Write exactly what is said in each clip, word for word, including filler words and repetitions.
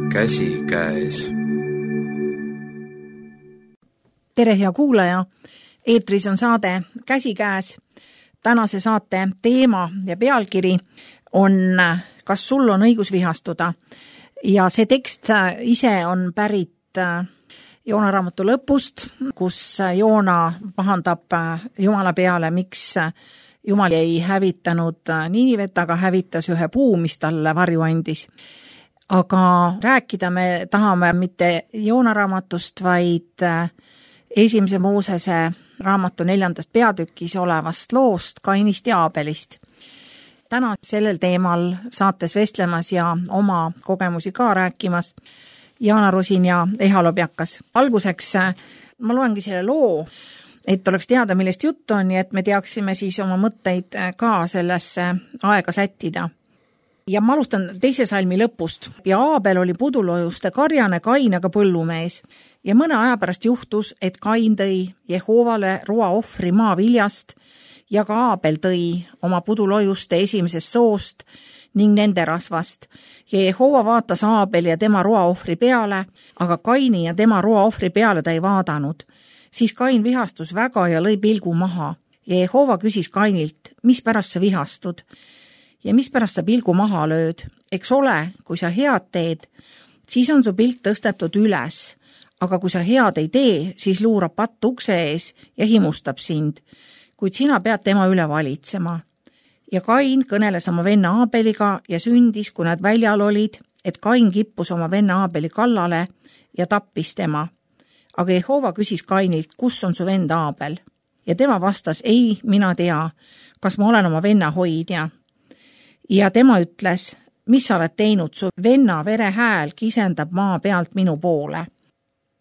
käsikäes. Tere, hea kuulaja! Eetris on saade Käsikäes. Tänase saate teema ja pealkiri on Kas sul on õigus vihastuda? Ja see tekst ise on pärit Joona raamatu lõpust, kus Joona pahandab Jumala peale, miks Jumal ei hävitanud Niinivet, aga hävitas ühe puu, mis talle varju andis. Aga rääkida me tahame mitte Joona raamatust, vaid esimese Moosese raamatu neljandast peatükis olevast loost Kainist ja Aabelist. Täna sellel teemal saates vestlemas ja oma kogemusi ka rääkimas Jaana Rosin ja Eha Lobjakas. Alguseks ma loengi selle loo, et oleks teada, millest juttu on, ja et me teaksime siis oma mõtteid ka sellesse aega sättida. Ja ma alustan teise salmi lõpust. Ja Aabel oli pudulojuste karjane, Kain aga põllumees. Ja mõne aja pärast juhtus, et Kain tõi Jehoovale roa ohvri maa viljast ja ka Aabel tõi oma pudulojuste esimesest soost ning nende rasvast. Ja Jehoova vaatas Aabel ja tema roa ohvri peale, aga Kaini ja tema roa ohvri peale ta ei vaadanud. Siis Kain vihastus väga ja lõi pilgu maha. Ja Jehoova küsis Kainilt, mis pärast sa vihastud? Ja mis pärast sa pilgu maha lööd? Eks ole, kui sa head teed, siis on su pilk tõstetud üles. Aga kui sa head ei tee, siis luurab patt ukse ees ja himustab sind. Kuid sina pead tema üle valitsema. Ja Kain kõneles oma venna Aabeliga ja sündis, kui nad väljal olid, et Kain kippus oma venna Aabeli kallale ja tappis tema. Aga Jehoova küsis Kainilt, kus on su vend Aabel? Ja tema vastas, ei, mina tea, kas ma olen oma venna hoidja. Ja tema ütles, mis sa oled teinud, su venna vere hääl kisendab maa pealt minu poole.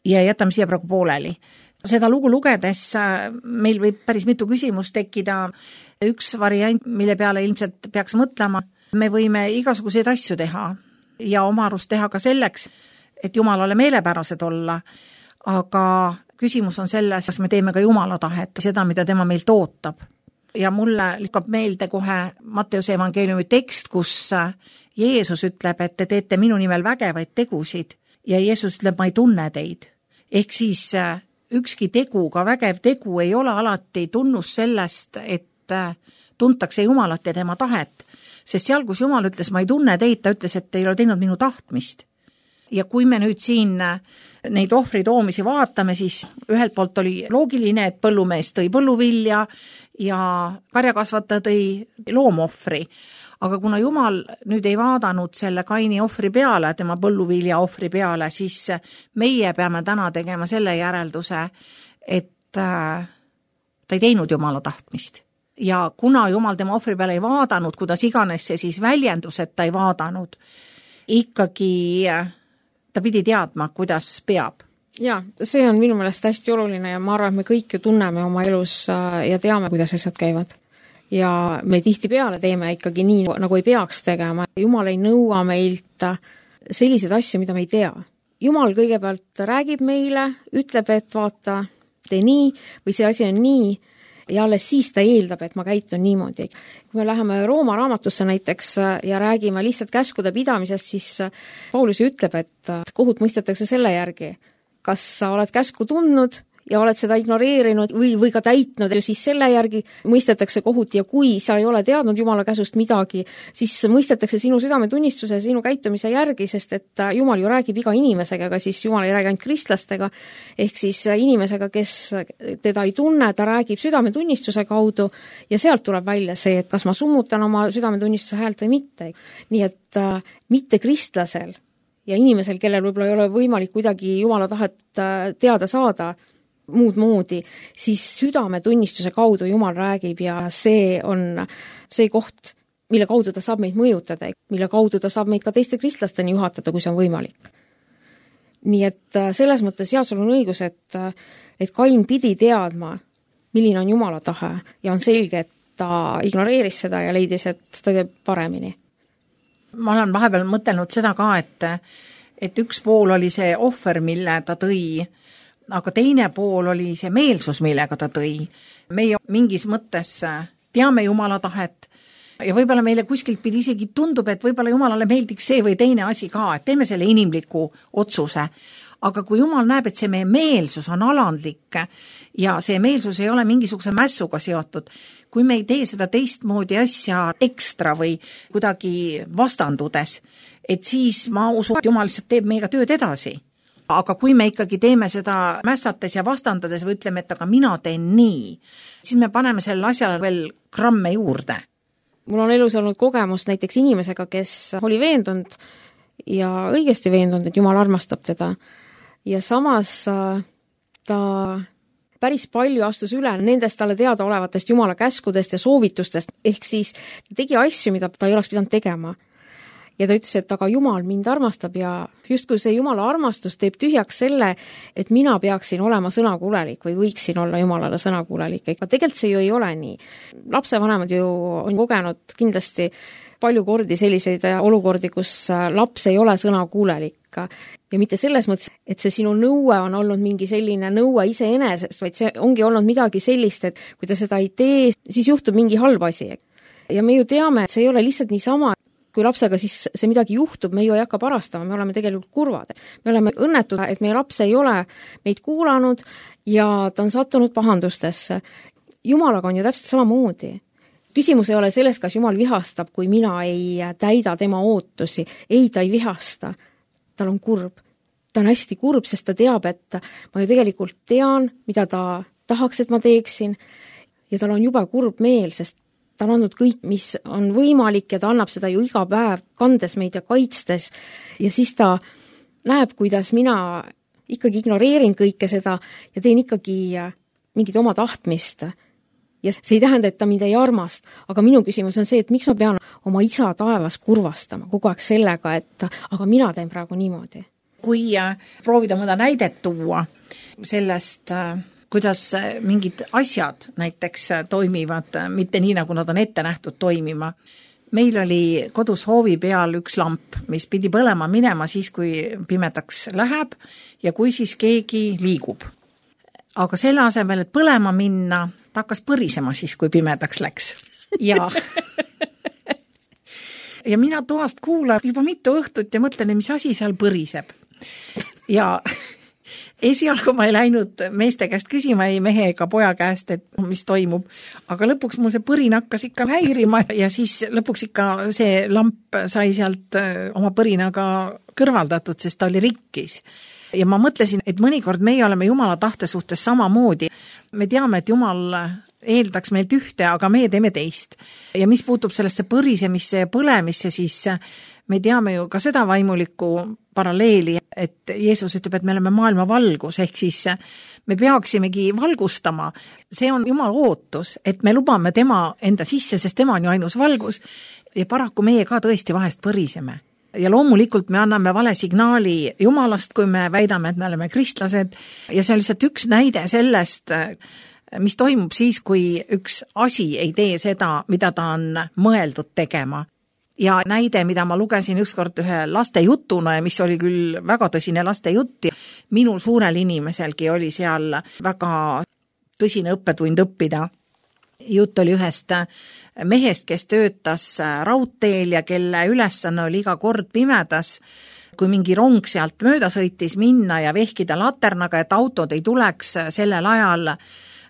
Ja jätame siia praegu pooleli. Seda lugu lugedes meil võib päris mitu küsimust tekkida. Üks variant, mille peale ilmselt peaks mõtlema, me võime igasuguseid asju teha ja oma arust teha ka selleks, et Jumalale meelepärased olla, aga küsimus on selles, kas me teeme ka Jumala tahet, seda, mida tema meilt ootab. Ja mulle liskab meelde kohe Matteuse evangeeliumi tekst, kus Jeesus ütleb, et te teete minu nimel vägevaid tegusid ja Jeesus ütleb, ma ei tunne teid. Ehk siis ükski tegu, ka vägev tegu ei ole alati tunnus sellest, et tuntakse Jumalat ja tema tahet. Sest seal, kus Jumal ütles, ma ei tunne teid, ta ütles, et te ei ole teinud minu tahtmist. Ja kui me nüüd siin neid ohvri toomisi vaatame, siis ühelt poolt oli loogiline, et põllumees tõi põlluvilja ja karjakasvataja tõi loomohvri. Aga kuna Jumal nüüd ei vaadanud selle Kaini ohvri peale, tema põlluvilja ohvri peale, siis meie peame täna tegema selle järelduse, et ta ei teinud Jumala tahtmist. Ja kuna Jumal tema ohvri peale ei vaadanud, kuidas iganes see siis väljendus, et ta ei vaadanud, ikkagi ta pidi teadma, kuidas peab. Ja, see on minu meelest hästi oluline ja ma arvan, et me kõik ju tunneme oma elus ja teame, kuidas asjad käivad. Ja me tihti peale teeme ikkagi nii, nagu ei peaks tegema. Jumal ei nõua meilt selliseid asju, mida me ei tea. Jumal kõigepealt räägib meile, ütleb, et vaata, tee nii või see asi on nii ja alles siis ta eeldab, et ma käitun niimoodi. Kui me läheme Rooma raamatusse näiteks ja räägime lihtsalt käskude pidamisest, siis Paulus ütleb, et kohut mõistetakse selle järgi. Kas sa oled käsku tundnud ja oled seda ignoreerinud või, või ka täitnud, ja siis selle järgi mõistetakse kohut ja kui sa ei ole teadnud Jumala käsust midagi, siis mõistetakse sinu südametunnistuse ja sinu käitumise järgi, sest et Jumal ju räägib iga inimesega, aga siis Jumal ei räägi ainult kristlastega, ehk siis inimesega, kes teda ei tunne, ta räägib südametunnistuse kaudu ja sealt tuleb välja see, et kas ma summutan oma südametunnistuse häält või mitte. Nii et äh, mitte kristlasel ja inimesel, kellel võib-olla ei ole võimalik kuidagi Jumala tahet teada saada, muud moodi, siis südametunnistuse kaudu Jumal räägib ja see on see koht, mille kaudu ta saab meid mõjutada, mille kaudu ta saab meid ka teiste kristlasteni juhatada, kui see on võimalik. Nii et selles mõttes jah, sul on õigus, et, et Kain pidi teadma, milline on Jumala tahe ja on selge, et ta ignoreeris seda ja leidis, et ta teeb paremini. Ma olen vahepeal mõtelnud seda ka, et, et üks pool oli see ohver, mille ta tõi, aga teine pool oli see meelsus, millega ta tõi. Meie mingis mõttes teame Jumala tahet ja võib-olla meile kuskilt pidi isegi tundub, et võib-olla Jumalale meeldiks see või teine asi ka, et teeme selle inimliku otsuse. Aga kui Jumal näeb, et see meie meelsus on alandlik ja see meelsus ei ole mingisuguse mässuga seotud, kui me ei tee seda teistmoodi asja ekstra või kuidagi vastandudes, et siis ma usun, et Jumal lihtsalt teeb meiega tööd edasi. Aga kui me ikkagi teeme seda mässates ja vastandades või ütleme, et aga mina teen nii, siis me paneme selle asjale veel gramme juurde. Mul on elus olnud kogemus näiteks inimesega, kes oli veendunud ja õigesti veendunud, et Jumal armastab teda. Ja samas ta päris palju astus üle nendest talle teada olevatest Jumala käskudest ja soovitustest, ehk siis ta tegi asju, mida ta ei oleks pidanud tegema. Ja ta ütles, et aga Jumal mind armastab ja justkui see Jumala armastus teeb tühjaks selle, et mina peaksin olema sõnakuulelik või võiksin olla Jumalale sõnakuulelik. Aga tegelikult see ju ei ole nii. Lapsevanemad ju on kogenud kindlasti palju kordi selliseid olukordi, kus laps ei ole sõnakuulelik. Ja mitte selles mõttes, et see sinu nõue on olnud mingi selline nõue iseenesest, vaid see ongi olnud midagi sellist, et kui ta seda ei tee, siis juhtub mingi halb asi. Ja me ju teame, et see ei ole lihtsalt niisama, kui lapsega siis see midagi juhtub, me ju ei hakka parastama, me oleme tegelikult kurvad. Me oleme õnnetud, et meie laps ei ole meid kuulanud ja ta on sattunud pahandustesse. Jumalaga on ju täpselt samamoodi. Küsimus ei ole selles, kas Jumal vihastab, kui mina ei täida tema ootusi. Ei, ta ei vihasta. Tal on kurb. Ta on hästi kurb, sest ta teab, et ma ju tegelikult tean, mida ta tahaks, et ma teeksin. Ja tal on juba kurb meel, sest ta on andnud kõik, mis on võimalik ja ta annab seda ju iga päev, kandes meid ja kaitstes. Ja siis ta näeb, kuidas mina ikkagi ignoreerin kõike seda ja teen ikkagi mingit oma tahtmist. Ja see ei tähenda, et ta mind ei armast, aga minu küsimus on see, et miks ma pean oma isa taevas kurvastama kogu aeg sellega, et aga mina teen praegu niimoodi. Kui proovida mõnda näidet tuua sellest, kuidas mingid asjad näiteks toimivad, mitte nii, nagu nad on ette nähtud toimima. Meil oli kodus hoovi peal üks lamp, mis pidi põlema minema siis, kui pimedaks läheb ja kui siis keegi liigub. Aga selle asemel, et põlema minna, ta hakkas põrisema siis, kui pimedaks läks. Ja, ja mina toast kuulan juba mitu õhtut ja mõtlen, mis asi seal põriseb. Ja esialgu ma ei läinud meeste käest küsima, ei mehe ega poja käest, et mis toimub. Aga lõpuks mul see põrin hakkas ikka häirima ja siis lõpuks ikka see lamp sai sealt oma põrinaga kõrvaldatud, sest ta oli rikkis. Ja ma mõtlesin, et mõnikord meie oleme Jumala tahte suhtes samamoodi. Me teame, et Jumal eeldaks meilt ühte, aga meie teeme teist. Ja mis puutub sellesse põrisemisse ja põlemisse, siis me teame ju ka seda vaimulikku paralleeli, et Jeesus ütleb, et me oleme maailma valgus, ehk siis me peaksimegi valgustama. See on Jumala ootus, et me lubame tema enda sisse, sest tema on ju ainus valgus ja paraku meie ka tõesti vahest põriseme. Ja loomulikult me anname vale signaali Jumalast, kui me väidame, et me oleme kristlased ja see on lihtsalt üks näide sellest, mis toimub siis, kui üks asi ei tee seda, mida ta on mõeldud tegema. Ja näide, mida ma lugesin ükskord ühe laste jutuna ja mis oli küll väga tõsine laste jutt, minul suurel inimeselgi oli seal väga tõsine õppetund õppida. Jutt oli ühest mehest, kes töötas raudteel ja kelle ülesanne oli iga kord pimedas, kui mingi rong sealt mööda sõitis minna ja vehkida laternaga, et autod ei tuleks sellel ajal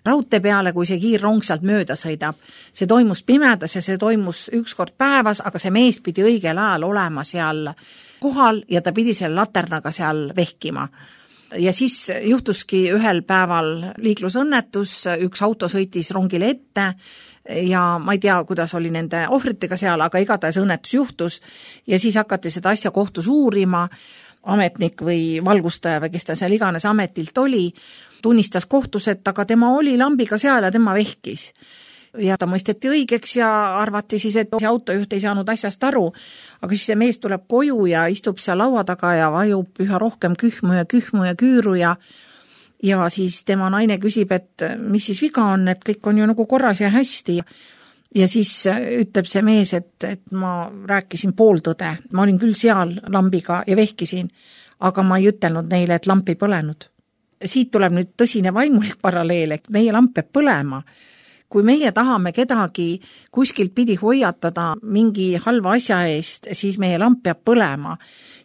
raudtee peale, kui see kiirrong sealt mööda sõidab. See toimus pimedas ja see toimus üks kord päevas, aga see mees pidi õigel ajal olema seal kohal ja ta pidi selle laternaga seal vehkima. Ja siis juhtuski ühel päeval liiklusõnnetus, üks auto sõitis rongile ette ja ma ei tea, kuidas oli nende ohvritega seal, aga igatahes õnnetus juhtus ja siis hakati seda asja kohtus uurima. Ametnik või valgustaja või kes ta seal iganes ametilt oli, tunnistas kohtus, et aga tema oli lambiga seal ja tema vehkis. Ja ta mõisteti õigeks ja arvati siis, et see autojuht ei saanud asjast aru, aga siis see mees tuleb koju ja istub seal laua taga ja vajub üha rohkem kühmu ja kühmu ja küüru ja ja siis tema naine küsib, et mis siis viga on, et kõik on ju nagu korras ja hästi. Ja siis ütleb see mees, et, et ma rääkisin pooltõde, ma olin küll seal lambiga ja vehkisin, aga ma ei ütelnud neile, et lamp ei põlenud. Siit tuleb nüüd tõsine vaimulik paralleel, et meie lamp peab põlema. kui meie tahame kedagi kuskilt pidi hoiatada mingi halva asja eest, siis meie lamp peab põlema.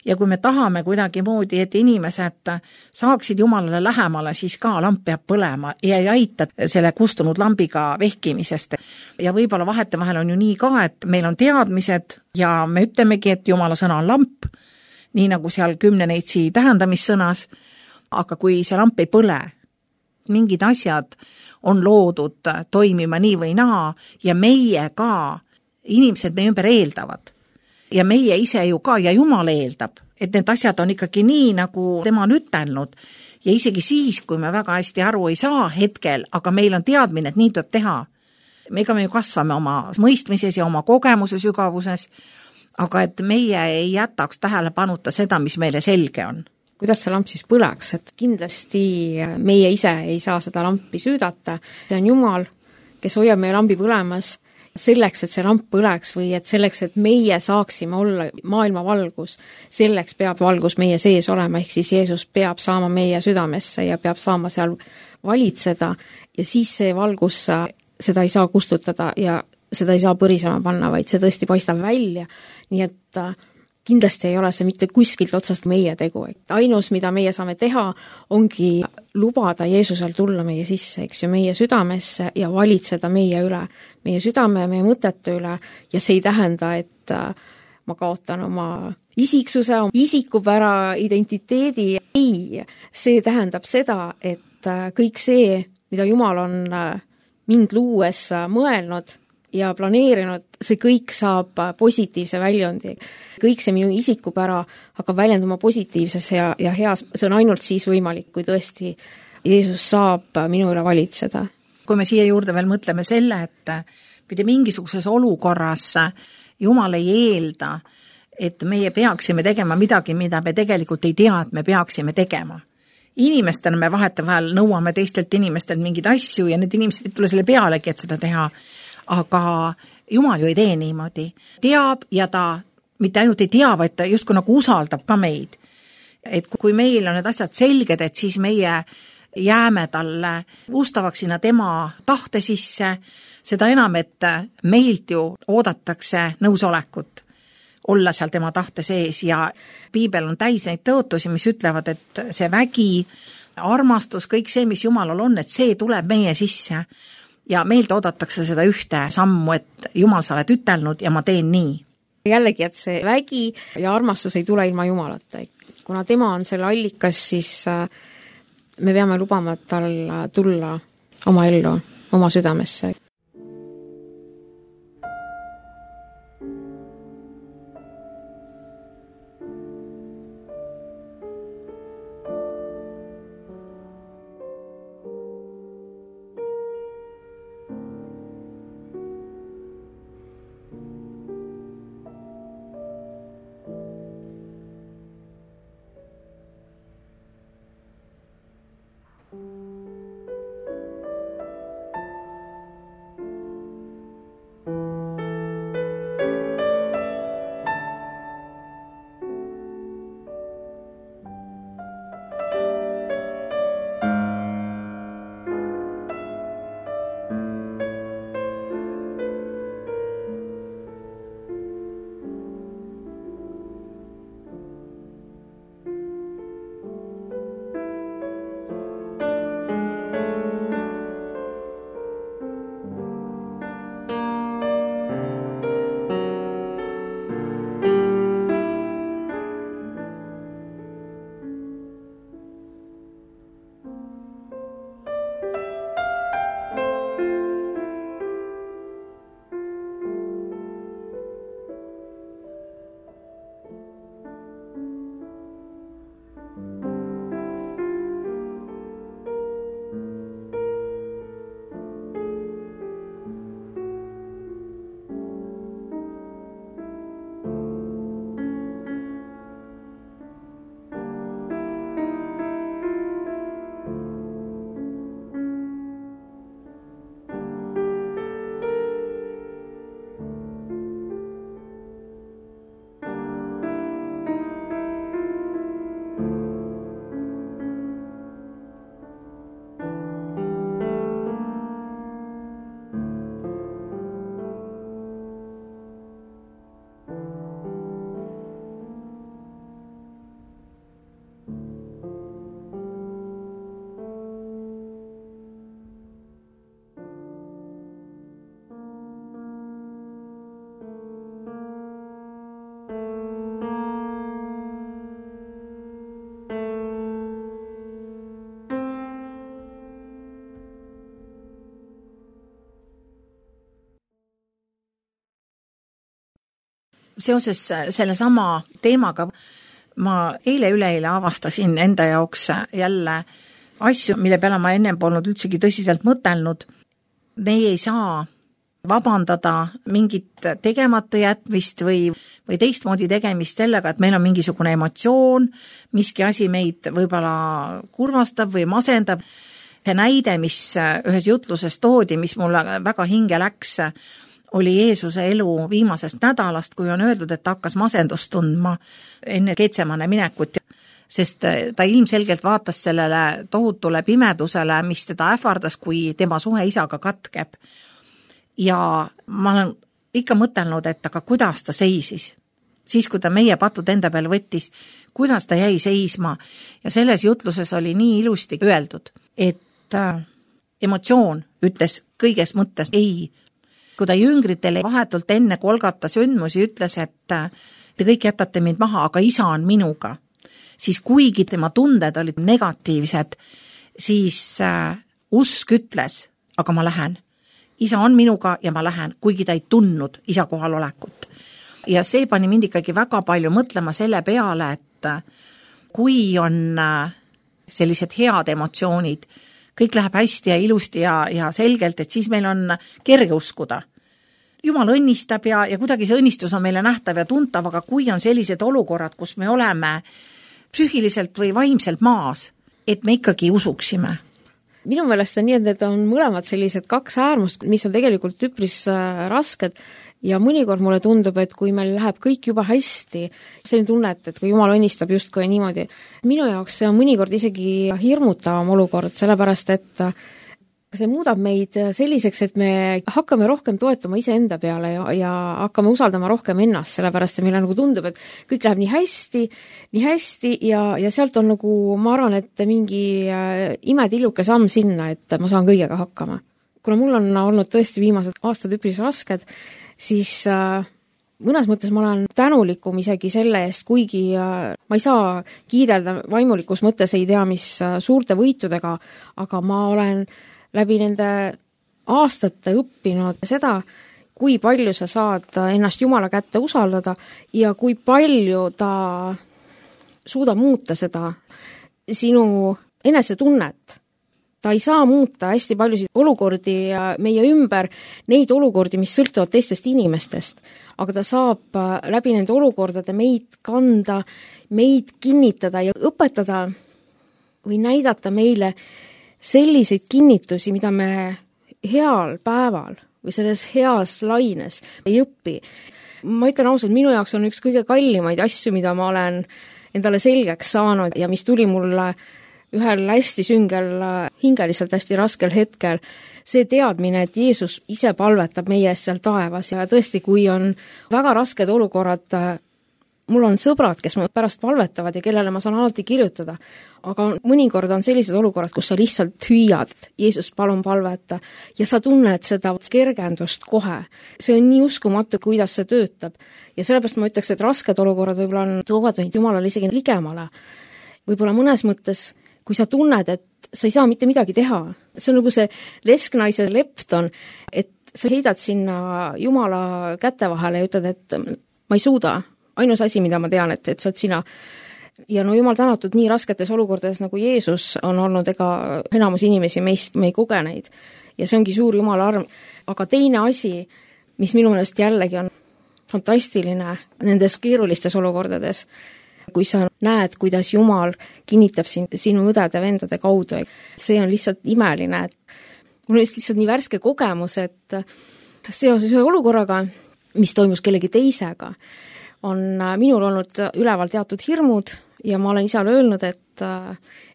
Ja kui me tahame kuidagi moodi, et inimesed saaksid Jumalale lähemale, siis ka lamp peab põlema ja ei aita selle kustunud lambiga vehkimisest. Ja võib-olla vahetevahel on ju nii ka, et meil on teadmised ja me ütlemegi, et Jumala sõna on lamp, nii nagu seal kümne neitsi tähendamissõnas, aga kui see lamp ei põle, mingid asjad on loodud toimima nii või naa ja meie ka, inimesed meie ümber eeldavad. Ja meie ise ju ka ja Jumal eeldab, et need asjad on ikkagi nii, nagu tema on ütelnud. Ja isegi siis, kui me väga hästi aru ei saa hetkel, aga meil on teadmine, et nii tuleb teha. Ega me ju kasvame oma mõistmises ja oma kogemuse sügavuses, aga et meie ei jätaks tähelepanuta seda, mis meile selge on. Kuidas see lamp siis põleks, et kindlasti meie ise ei saa seda lampi süüdata. See on Jumal, kes hoiab meie lambi põlemas selleks, et see lamp põleks või et selleks, et meie saaksime olla maailma valgus, selleks peab valgus meie sees olema, ehk siis Jeesus peab saama meie südamesse ja peab saama seal valitseda ja siis see valgus, seda ei saa kustutada ja seda ei saa põrisema panna, vaid see tõesti paistab välja, nii et kindlasti ei ole see mitte kuskilt otsast meie tegu. Ainus, mida meie saame teha, ongi lubada Jeesusel tulla meie sisse, eks ju, meie südamesse ja valitseda meie üle, meie südame ja meie mõtete üle ja see ei tähenda, et ma kaotan oma isiksuse, isikupära identiteedi. Ei, see tähendab seda, et kõik see, mida Jumal on mind luues mõelnud ja planeerinud, see kõik saab positiivse väljundi. Kõik see minu isikupära hakkab väljenduma positiivses ja, ja heas. See on ainult siis võimalik, kui tõesti Jeesus saab minu üle valitseda. Kui me siia juurde veel mõtleme selle, et pidi mingisuguses olukorras Jumal ei eelda, et meie peaksime tegema midagi, mida me tegelikult ei tea, et me peaksime tegema. Inimestena me vahetevahel nõuame teistelt inimestelt mingeid asju ja need inimesed ei tule selle pealegi, et seda teha. Aga Jumal ju ei tee niimoodi. Teab ja ta mitte ainult ei tea, vaid ta justkui nagu usaldab ka meid. Et kui meil on need asjad selged, et siis meie jääme talle ustavaks sinna tema tahte sisse, seda enam, et meilt ju oodatakse nõusolekut olla seal tema tahte sees ja piibel on täis neid tõotusi, mis ütlevad, et see vägi, armastus, kõik see, mis Jumalal on, et see tuleb meie sisse. Ja meilt oodatakse seda ühte sammu, et Jumal, sa oled ütelnud ja ma teen nii. Jällegi, et see vägi ja armastus ei tule ilma Jumalata. Kuna tema on selle allikas, siis me peame lubama tal tulla oma ellu, oma südamesse. seoses selle sama teemaga ma eile-üleeile avastasin enda jaoks jälle asju, mille peale ma ennem polnud üldsegi tõsiselt mõtelnud. Meie ei saa vabandada mingit tegemata jätmist või, või teistmoodi tegemist sellega, et meil on mingisugune emotsioon, miski asi meid võib-olla kurvastab või masendab. See näide, mis ühes jutluses toodi, mis mulle väga hinge läks, oli Jeesuse elu viimasest nädalast, kui on öeldud, et ta hakkas masendust tundma enne Getsemane minekut, sest ta ilmselgelt vaatas sellele tohutule pimedusele, mis teda ähvardas, kui tema suhe isaga katkeb. Ja ma olen ikka mõtelnud, et aga kuidas ta seisis. Siis, kui ta meie patud enda peale võttis, kuidas ta jäi seisma. Ja selles jutluses oli nii ilusti öeldud, et emotsioon ütles kõiges mõttes ei. Kui ta jüngritele vahetult enne Kolgata sündmusi ütles, et te kõik jätate mind maha, aga isa on minuga, siis kuigi tema tunded olid negatiivsed, siis usk ütles, aga ma lähen. Isa on minuga ja ma lähen, kuigi ta ei tundnud isa kohal olekut. Ja see pani mind ikkagi väga palju mõtlema selle peale, et kui on sellised head emotsioonid, kõik läheb hästi ja ilusti ja, ja selgelt, et siis meil on kerge uskuda. Jumal õnnistab ja, ja kuidagi see õnnistus on meile nähtav ja tuntav, aga kui on sellised olukorrad, kus me oleme psüühiliselt või vaimselt maas, et me ikkagi usuksime. Minu meelest on nii, et need on mõlemad sellised kaks äärmust, mis on tegelikult üpris rasked. Ja mõnikord mulle tundub, et kui meil läheb kõik juba hästi, see on tunne, et kui Jumal õnnistab justkui niimoodi. Minu jaoks see on mõnikord isegi hirmutavam olukord, sellepärast et see muudab meid selliseks, et me hakkame rohkem toetama iseenda peale ja, ja hakkame usaldama rohkem ennast, sellepärast et meile nagu tundub, et kõik läheb nii hästi, nii hästi ja, ja sealt on nagu, ma arvan, et mingi imetilluke samm sinna, et ma saan kõigega hakkama. Kuna mul on olnud tõesti viimased aastad üpris rasked, siis äh, mõnes mõttes ma olen tänulikum isegi selle eest, kuigi äh, ma ei saa kiidelda vaimulikus mõttes ei tea, mis äh, suurte võitudega, aga ma olen läbi nende aastate õppinud seda, kui palju sa saad ennast Jumala kätte usaldada ja kui palju ta suudab muuta seda sinu enesetunnet. Ta ei saa muuta hästi paljusid olukordi meie ümber, neid olukordi, mis sõltuvad teistest inimestest, aga ta saab läbi nende olukordade meid kanda, meid kinnitada ja õpetada või näidata meile selliseid kinnitusi, mida me heal päeval või selles heas laines ei õpi. Ma ütlen ausalt, minu jaoks on üks kõige kallimaid asju, mida ma olen endale selgeks saanud ja mis tuli mulle ühel hästi süngel, hingeliselt hästi raskel hetkel, see teadmine, et Jeesus ise palvetab meie eest seal taevas ja tõesti, kui on väga rasked olukorrad, mul on sõbrad, kes mu pärast palvetavad ja kellele ma saan alati kirjutada, aga mõnikord on sellised olukorrad, kus sa lihtsalt hüüad, Jeesus palun palveta ja sa tunned seda kergendust kohe. See on nii uskumatu, kuidas see töötab ja sellepärast ma ütleks, et rasked olukorrad võib-olla on, toovad meid Jumalale isegi ligemale. Võib-olla mõnes mõttes kui sa tunned, et sa ei saa mitte midagi teha. See on nagu see lesknaise lepton, et sa heidad sinna Jumala käte vahele ja ütled, et ma ei suuda. Ainus asi, mida ma tean, et, et sa oled sina. Ja no Jumal tänatud nii rasketes olukordades, nagu Jeesus on olnud, ega enamus inimesi meist me ei kogeneid. Ja see ongi suur Jumala arm. Aga teine asi, mis minu meelest jällegi on fantastiline nendes keerulistes olukordades, kui sa näed, kuidas Jumal kinnitab sin, sinu õdede vendade kaudu. See on lihtsalt imeline. Mul on lihtsalt nii värske kogemus, et seoses ühe olukorraga, mis toimus kellegi teisega, on minul olnud üleval teatud hirmud ja ma olen isale öelnud, et,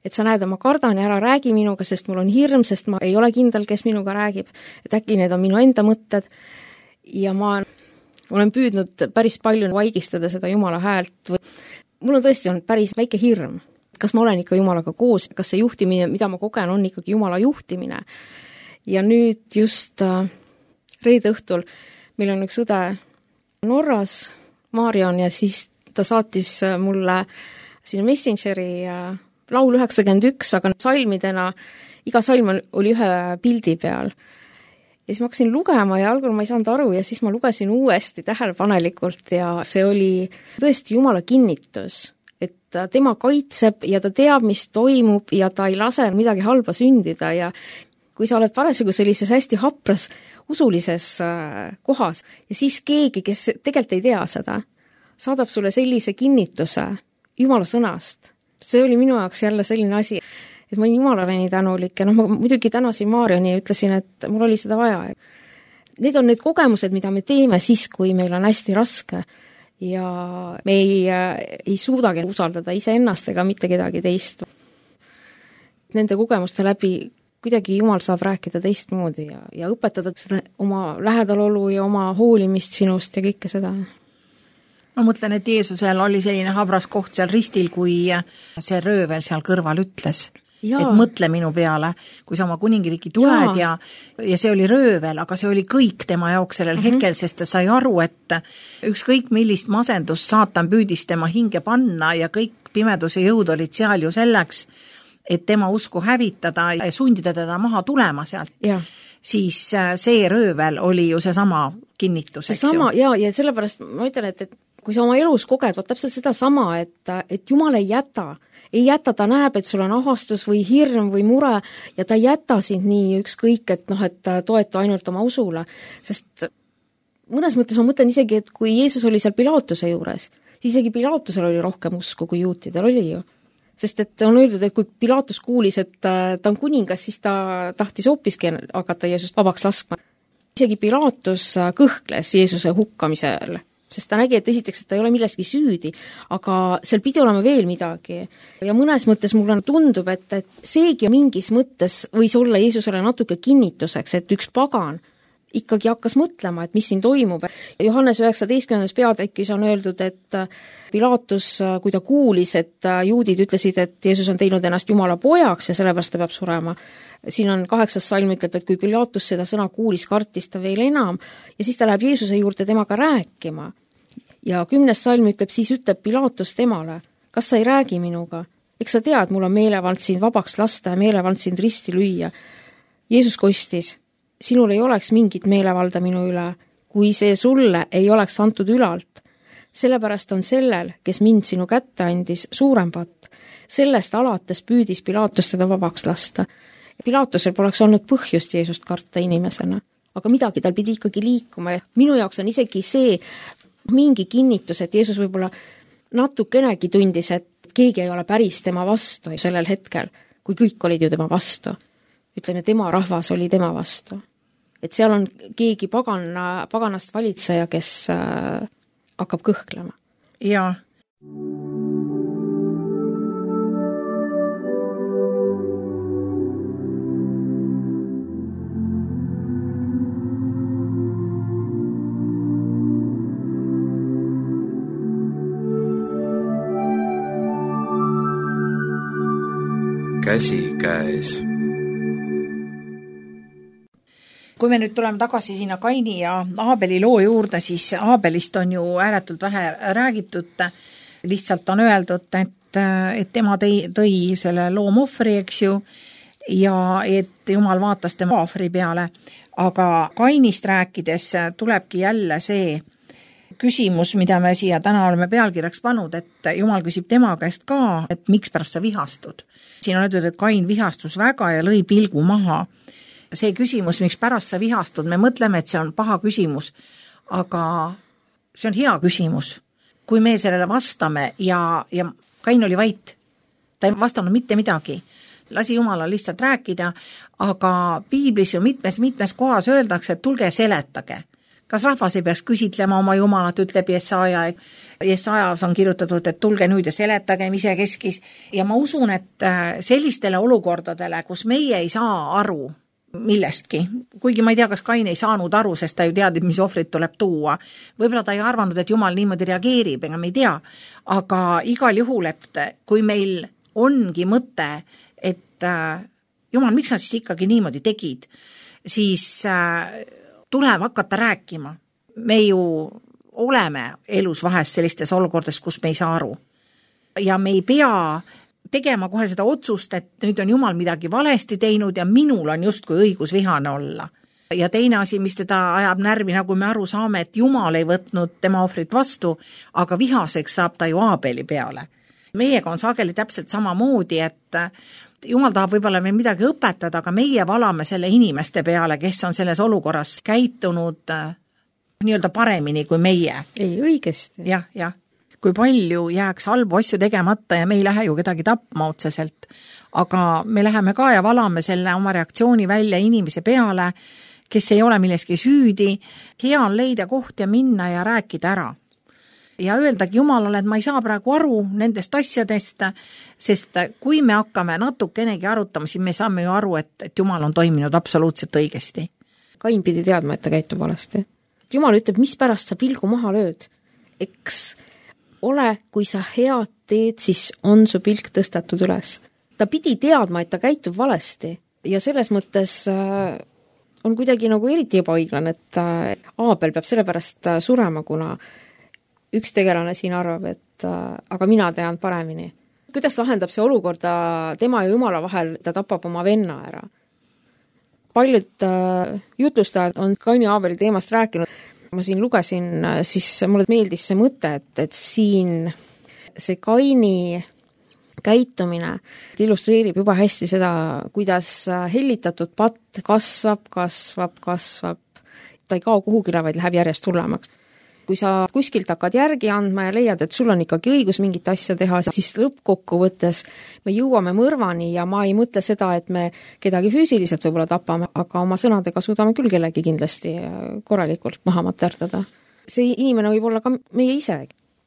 et sa näed, ma kardan ja ära räägi minuga, sest mul on hirm, sest ma ei ole kindel, kes minuga räägib. Et äkki need on minu enda mõtted ja ma olen püüdnud päris palju vaigistada seda Jumala häält või mul on tõesti olnud päris väike hirm. Kas ma olen ikka Jumalaga koos? Kas see juhtimine, mida ma kogen, on ikkagi Jumala juhtimine? Ja nüüd just äh, reede õhtul meil on üks õde Norras, Marion, ja siis ta saatis mulle sinna Messengeri äh, laul üheksakümmend üks, aga salmidena, iga salm oli ühe pildi peal. ja siis ma hakkasin lugema ja algul ma ei saanud aru ja siis ma lugesin uuesti tähelepanelikult ja see oli tõesti Jumala kinnitus, et tema kaitseb ja ta teab, mis toimub ja ta ei lase midagi halba sündida ja kui sa oled parasjagu sellises hästi hapras usulises kohas ja siis keegi, kes tegelikult ei tea seda, saadab sulle sellise kinnituse Jumala sõnast. See oli minu jaoks jälle selline asi, et ma olin Jumalale nii tänulik ja noh, ma muidugi tänasin Maarjani ja ütlesin, et mul oli seda vaja. Need on need kogemused, mida me teeme siis, kui meil on hästi raske ja me ei, ei suudagi usaldada iseennast ega mitte kedagi teist. Nende kogemuste läbi kuidagi Jumal saab rääkida teistmoodi ja, ja õpetada seda oma lähedalolu ja oma hoolimist sinust ja kõike seda. Ma mõtlen, et Jeesusel oli selline habras koht seal ristil, kui see röövel seal kõrval ütles, ja. Et mõtle minu peale, kui sa oma kuningriiki tuled ja, ja, ja see oli röövel, aga see oli kõik tema jaoks sellel mm-hmm. hetkel, sest ta sai aru, et ükskõik millist masendust saatan püüdis tema hinge panna ja kõik pimeduse jõud olid seal ju selleks, et tema usku hävitada ja sundida teda maha tulema sealt, ja. Siis see röövel oli ju see sama kinnitus. See sama, ja, ja sellepärast ma ütlen, et, et kui sa oma elus koged, võt täpselt seda sama, et, et Jumal ei jäta, ei jäta, ta näeb, et sul on ahastus või hirm või mure ja ta ei jäta sind nii ükskõik, et noh, et toetu ainult oma usule, sest mõnes mõttes ma mõtlen isegi, et kui Jeesus oli seal Pilaatuse juures, siis isegi Pilaatusel oli rohkem usku kui juutidel oli ju. Sest et on öeldud, et kui Pilaatus kuulis, et ta on kuningas, siis ta tahtis hoopiski hakata Jeesust vabaks laskma. Isegi Pilaatus kõhkles Jeesuse hukkamisel, sest ta nägi, et esiteks, et ta ei ole millestki süüdi, aga seal pidi olema veel midagi. Ja mõnes mõttes mulle tundub, et, et seegi mingis mõttes võis olla Jeesusele natuke kinnituseks, et üks pagan ikkagi hakkas mõtlema, et mis siin toimub. Johannes üheksateistkümnendas peatükis on öeldud, et Pilaatus, kui ta kuulis, et juudid ütlesid, et Jeesus on teinud ennast Jumala pojaks ja sellepärast ta peab surema. Siin on kaheksas salm ütleb, et kui Pilaatus seda sõna kuulis, kartis ta veel enam ja siis ta läheb Jeesuse juurde temaga rääkima. Ja kümnes salm ütleb, siis ütleb Pilaatus temale, kas sa ei räägi minuga? Eks sa tead, mul on meelevald sind vabaks lasta ja meelevald sind risti lüüa. Jeesus kostis, sinul ei oleks mingit meelevalda minu üle, kui see sulle ei oleks antud ülalt. Sellepärast on sellel, kes mind sinu kätte andis, suurem patt. Sellest alates püüdis Pilaatus teda vabaks lasta. Pilaatusel poleks olnud põhjust Jeesust karta inimesena, aga midagi tal pidi ikkagi liikuma ja minu jaoks on isegi see mingi kinnitus, et Jeesus võib-olla natukenegi tundis, et keegi ei ole päris tema vastu sellel hetkel, kui kõik olid ju tema vastu. Ütleme, tema rahvas oli tema vastu. Et seal on keegi paganna, paganast valitseja, kes äh, hakkab kõhklema. Jaa. Käsi käes. Kui me nüüd tuleme tagasi sinna Kaini ja Aabeli loo juurde, siis Aabelist on ju ääretult vähe räägitud. Lihtsalt on öeldud, et, et tema tõi, tõi selle loomohvri, eks ju, ja et Jumal vaatas tema ohvri peale. Aga Kainist rääkides tulebki jälle see küsimus, mida me siia täna oleme pealkirjaks pannud, et Jumal küsib tema käest ka, et miks pärast sa vihastud. Siin on öeldud, et Kain vihastus väga ja lõi pilgu maha. See küsimus, miks pärast sa vihastud, me mõtleme, et see on paha küsimus, aga see on hea küsimus. Kui me sellele vastame ja, ja Kain oli vait, ta ei vastanud mitte midagi, lasi Jumalal lihtsalt rääkida, aga piiblis ju mitmes, mitmes kohas öeldakse, et tulge seletage. Kas rahvas ei peaks küsitlema oma Jumalat, ütleb Jesaja. Jesajas on kirjutatud, et tulge nüüd ja seletage ise keskis. Ja ma usun, et sellistele olukordadele, kus meie ei saa aru millestki, kuigi ma ei tea, kas Kain ei saanud aru, sest ta ju teadib, mis ohvrit tuleb tuua. Võib-olla ta ei arvanud, et Jumal niimoodi reageerib, ega me ei tea. Aga igal juhul, et kui meil ongi mõte, et Jumal, miks sa siis ikkagi niimoodi tegid, siis tuleb hakata rääkima. Me ju oleme elus vahest sellistes olukordades, kus me ei saa aru. Ja me ei pea tegema kohe seda otsust, et nüüd on Jumal midagi valesti teinud ja minul on justkui õigus vihane olla. ja teine asi, mis teda ajab närvi, nagu me aru saame, et Jumal ei võtnud tema ohvrit vastu, aga vihaseks saab ta ju Aabeli peale. Meiega on sageli täpselt samamoodi, et Jumal tahab võib-olla meil midagi õpetada, aga meie valame selle inimeste peale, kes on selles olukorras käitunud nii-öelda paremini kui meie. Ei, õigesti. Jah, jah. Kui palju jääks halbu asju tegemata ja me ei lähe ju kedagi tapma otseselt, aga me läheme ka ja valame selle oma reaktsiooni välja inimese peale, kes ei ole milleski süüdi. Hea on leida koht ja minna ja rääkida ära. Ja öeldagi Jumalale, et ma ei saa praegu aru nendest asjadest, sest kui me hakkame natukenegi arutama, siis me saame ju aru, et, et Jumal on toiminud absoluutselt õigesti. Kain pidi teadma, et ta käitub valesti. Jumal ütleb, mis pärast sa pilgu maha lööd. Eks ole, kui sa head teed, siis on su pilk tõstatud üles. Ta pidi teadma, et ta käitub valesti ja selles mõttes on kuidagi nagu eriti ebaõiglane, et Aabel peab sellepärast surema, kuna üks tegelane siin arvab, et aga mina tean paremini. Kuidas lahendab see olukorda tema ja Jumala vahel, ta tapab oma venna ära? Paljud jutlustajad on Kaini ja Aabeli teemast rääkinud. Ma siin lugesin, siis mulle meeldis see mõte, et, et siin see Kaini käitumine illustreerib juba hästi seda, kuidas hellitatud patt kasvab, kasvab, kasvab. Ta ei kao kuhugile, vaid läheb järjest hullemaks. Kui sa kuskilt hakkad järgi andma ja leiad, et sul on ikkagi õigus mingit asja teha, siis lõppkokkuvõttes me jõuame mõrvani ja ma ei mõtle seda, et me kedagi füüsiliselt võib-olla tapame, aga oma sõnadega suudame küll kellegi kindlasti korralikult maha materdada. See inimene võib olla ka meie ise.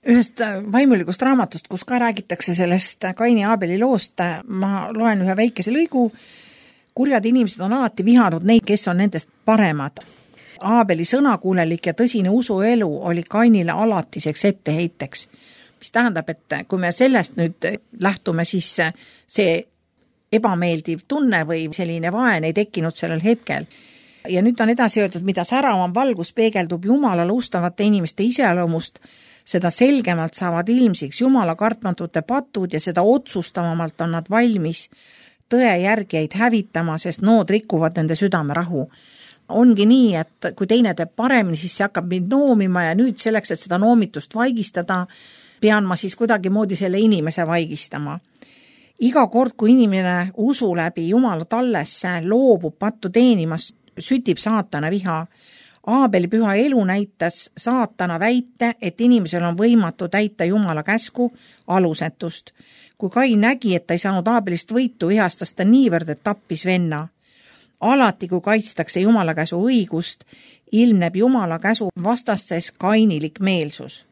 Ühest vaimulikust raamatust, kus ka räägitakse sellest Kaini ja Aabeli loost, ma loen ühe väikese lõigu. Kurjad inimesed on alati vihanud neid, kes on nendest paremad. Aabeli sõnakuulelik ja tõsine usuelu oli Kainile alatiseks etteheiteks, mis tähendab, et kui me sellest nüüd lähtume, siis see ebameeldiv tunne või selline vaen ei tekkinud sellel hetkel. Ja nüüd on edasi öeldud, mida säravam valgus peegeldub Jumalale ustavate inimeste iseloomust, seda selgemalt saavad ilmsiks Jumala kartmatute patud ja seda otsustavamalt on nad valmis tõe järgijaid hävitama, sest nood rikuvad nende südame rahu. Ongi nii, et kui teine teeb paremini, siis see hakkab mind noomima ja nüüd selleks, et seda noomitust vaigistada, pean ma siis kuidagi moodi selle inimese vaigistama. Iga kord, kui inimene usu läbi Jumala tallesse loobub pattu teenimast, sütib saatana viha. Aabeli püha elu näitas saatana väite, et inimesel on võimatu täita Jumala käsku alusetust. Kui Kain nägi, et ta ei saanud Aabelist võitu, vihastas ta niivõrd, et tappis venna. Alati, kui kaitstakse Jumala käsu õigust, ilmneb Jumala käsu vastastes kainilik meelsus.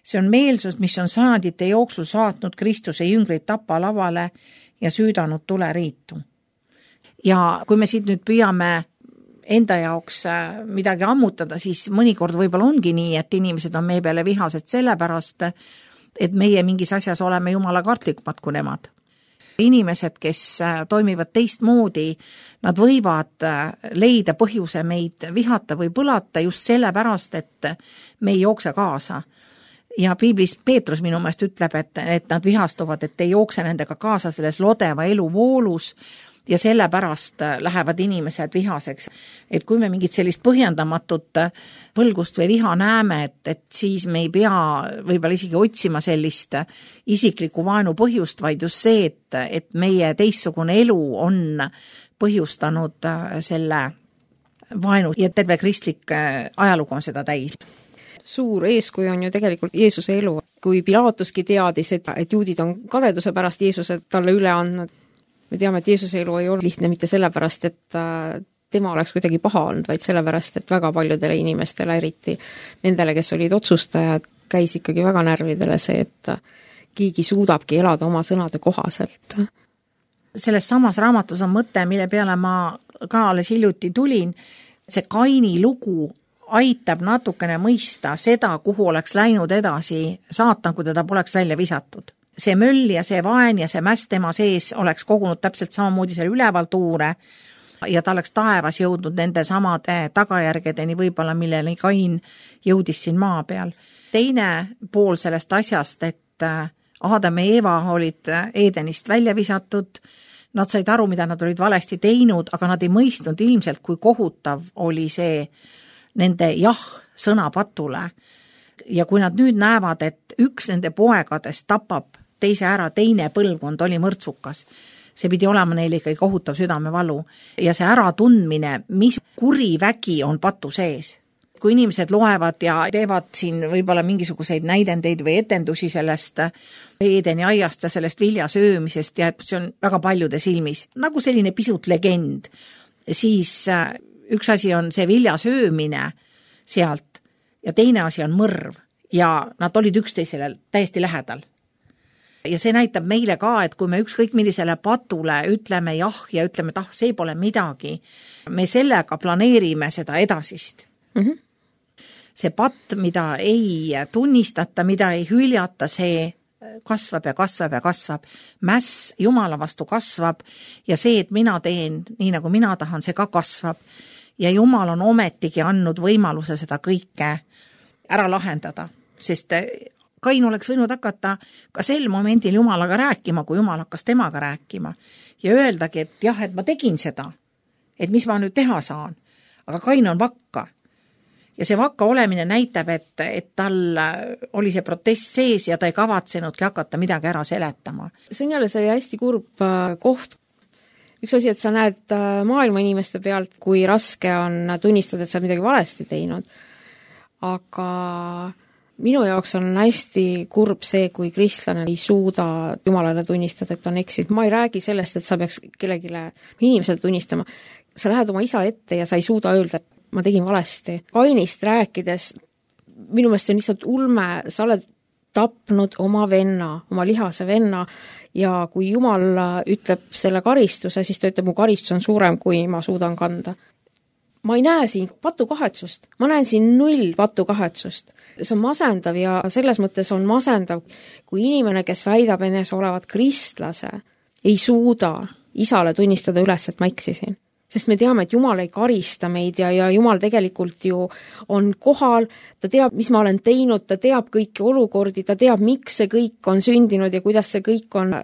See on meelsus, mis on sajandite jooksul saatnud Kristuse jüngrid tapa lavale ja süüdanud tuleriitu. Ja kui me siit nüüd püüame enda jaoks midagi ammutada, siis mõnikord võib-olla ongi nii, et inimesed on meie peale vihased sellepärast, et meie mingis asjas oleme Jumala kartlikumad kui nemad. Inimesed, kes toimivad teistmoodi, nad võivad leida põhjuse meid vihata või põlata just sellepärast, et me ei jookse kaasa. Ja piiblis Peetrus minu meelest ütleb, et, et nad vihastuvad, et ei jookse nendega kaasa selles lodeva elu voolus ja sellepärast lähevad inimesed vihaseks. Et kui me mingit sellist põhjendamatut võlgust või viha näeme, et, et siis me ei pea võib-olla isegi otsima sellist isikliku vaenu põhjust, vaid just see, et, et meie teistsugune elu on põhjustanud selle vaenu ja terve kristlik ajalugu on seda täis. Suur eeskuju on ju tegelikult Jeesuse elu. Kui Pilatuski teadis, et, et juudid on kadeduse pärast Jeesuse talle üle andnud, me teame, et Jeesuse elu ei ole lihtne mitte sellepärast, et tema oleks kuidagi paha olnud, vaid sellepärast, et väga paljudele inimestele, eriti nendele, kes olid otsustajad, käis ikkagi väga närvidele see, et keegi suudabki elada oma sõnade kohaselt. Selles samas raamatus on mõte, mille peale ma ka alles hiljuti tulin, see Kaini lugu aitab natukene mõista seda, kuhu oleks läinud edasi saatan, kui teda poleks välja visatud. See möll ja see vaen ja see mäss tema sees oleks kogunud täpselt samamoodi seal üleval tuure ja ta oleks taevas jõudnud nende samade tagajärgedeni võib-olla, millele Kain jõudis siin maa peal. Teine pool sellest asjast, et Aadam ja Eeva olid Eedenist välja visatud, Nad said aru, mida nad olid valesti teinud, aga nad ei mõistnud ilmselt, kui kohutav oli see nende jah sõna patule. Ja kui nad nüüd näevad, et üks nende poegadest tapab teise ära, teine põlvkond oli mõrtsukas, see pidi olema neile ikkagi kohutav südamevalu ja see äratundmine, mis kuri vägi on patu sees. Kui inimesed loevad ja teevad siin võib-olla mingisuguseid näidendeid või etendusi sellest Eedeni aiast ja sellest vilja söömisest ja see on väga paljude silmis nagu selline pisut legend, siis üks asi on see vilja söömine sealt ja teine asi on mõrv ja nad olid üksteisele täiesti lähedal. Ja see näitab meile ka, et kui me ükskõik millisele patule ütleme jah ja ütleme, et ah, see pole midagi, me sellega planeerime seda edasist. Mm-hmm. See patt, mida ei tunnistata, mida ei hüljata, see kasvab ja kasvab ja kasvab. Mäss Jumala vastu kasvab ja see, et mina teen nii, nagu mina tahan, see ka kasvab. Ja Jumal on ometigi andnud võimaluse seda kõike ära lahendada, sest Kain oleks võinud hakata ka sel momendil Jumalaga rääkima, kui Jumal hakkas temaga rääkima ja öeldagi, et jah, et ma tegin seda, et mis ma nüüd teha saan, aga Kain on vakka. Ja see vakka olemine näitab, et, et tal oli see protest sees ja ta ei kavatsenudki hakata midagi ära seletama. See on jälle see hästi kurb koht. Üks asi, et sa näed maailma inimeste pealt, kui raske on tunnistada, et sa midagi valesti teinud, aga minu jaoks on hästi kurb see, kui kristlane ei suuda Jumalale tunnistada, et on eksinud. Ma ei räägi sellest, et sa peaks kellegile inimesele tunnistama. Sa lähed oma isa ette ja sa ei suuda öelda, et ma tegin valesti. Kainist rääkides, minu meelest see on lihtsalt ulme, sa oled tapnud oma venna, oma lihase venna ja kui Jumal ütleb selle karistuse, siis ta ütleb, mu karistus on suurem, kui ma suudan kanda. Ma ei näe siin patukahetsust, ma näen siin null patukahetsust. See on masendav ja selles mõttes on masendav, kui inimene, kes väidab enes olevat kristlase, ei suuda isale tunnistada üles, et ma eksisin. Sest me teame, et Jumal ei karista meid ja, ja Jumal tegelikult ju on kohal, ta teab, mis ma olen teinud, ta teab kõiki olukordi, ta teab, miks see kõik on sündinud ja kuidas see kõik on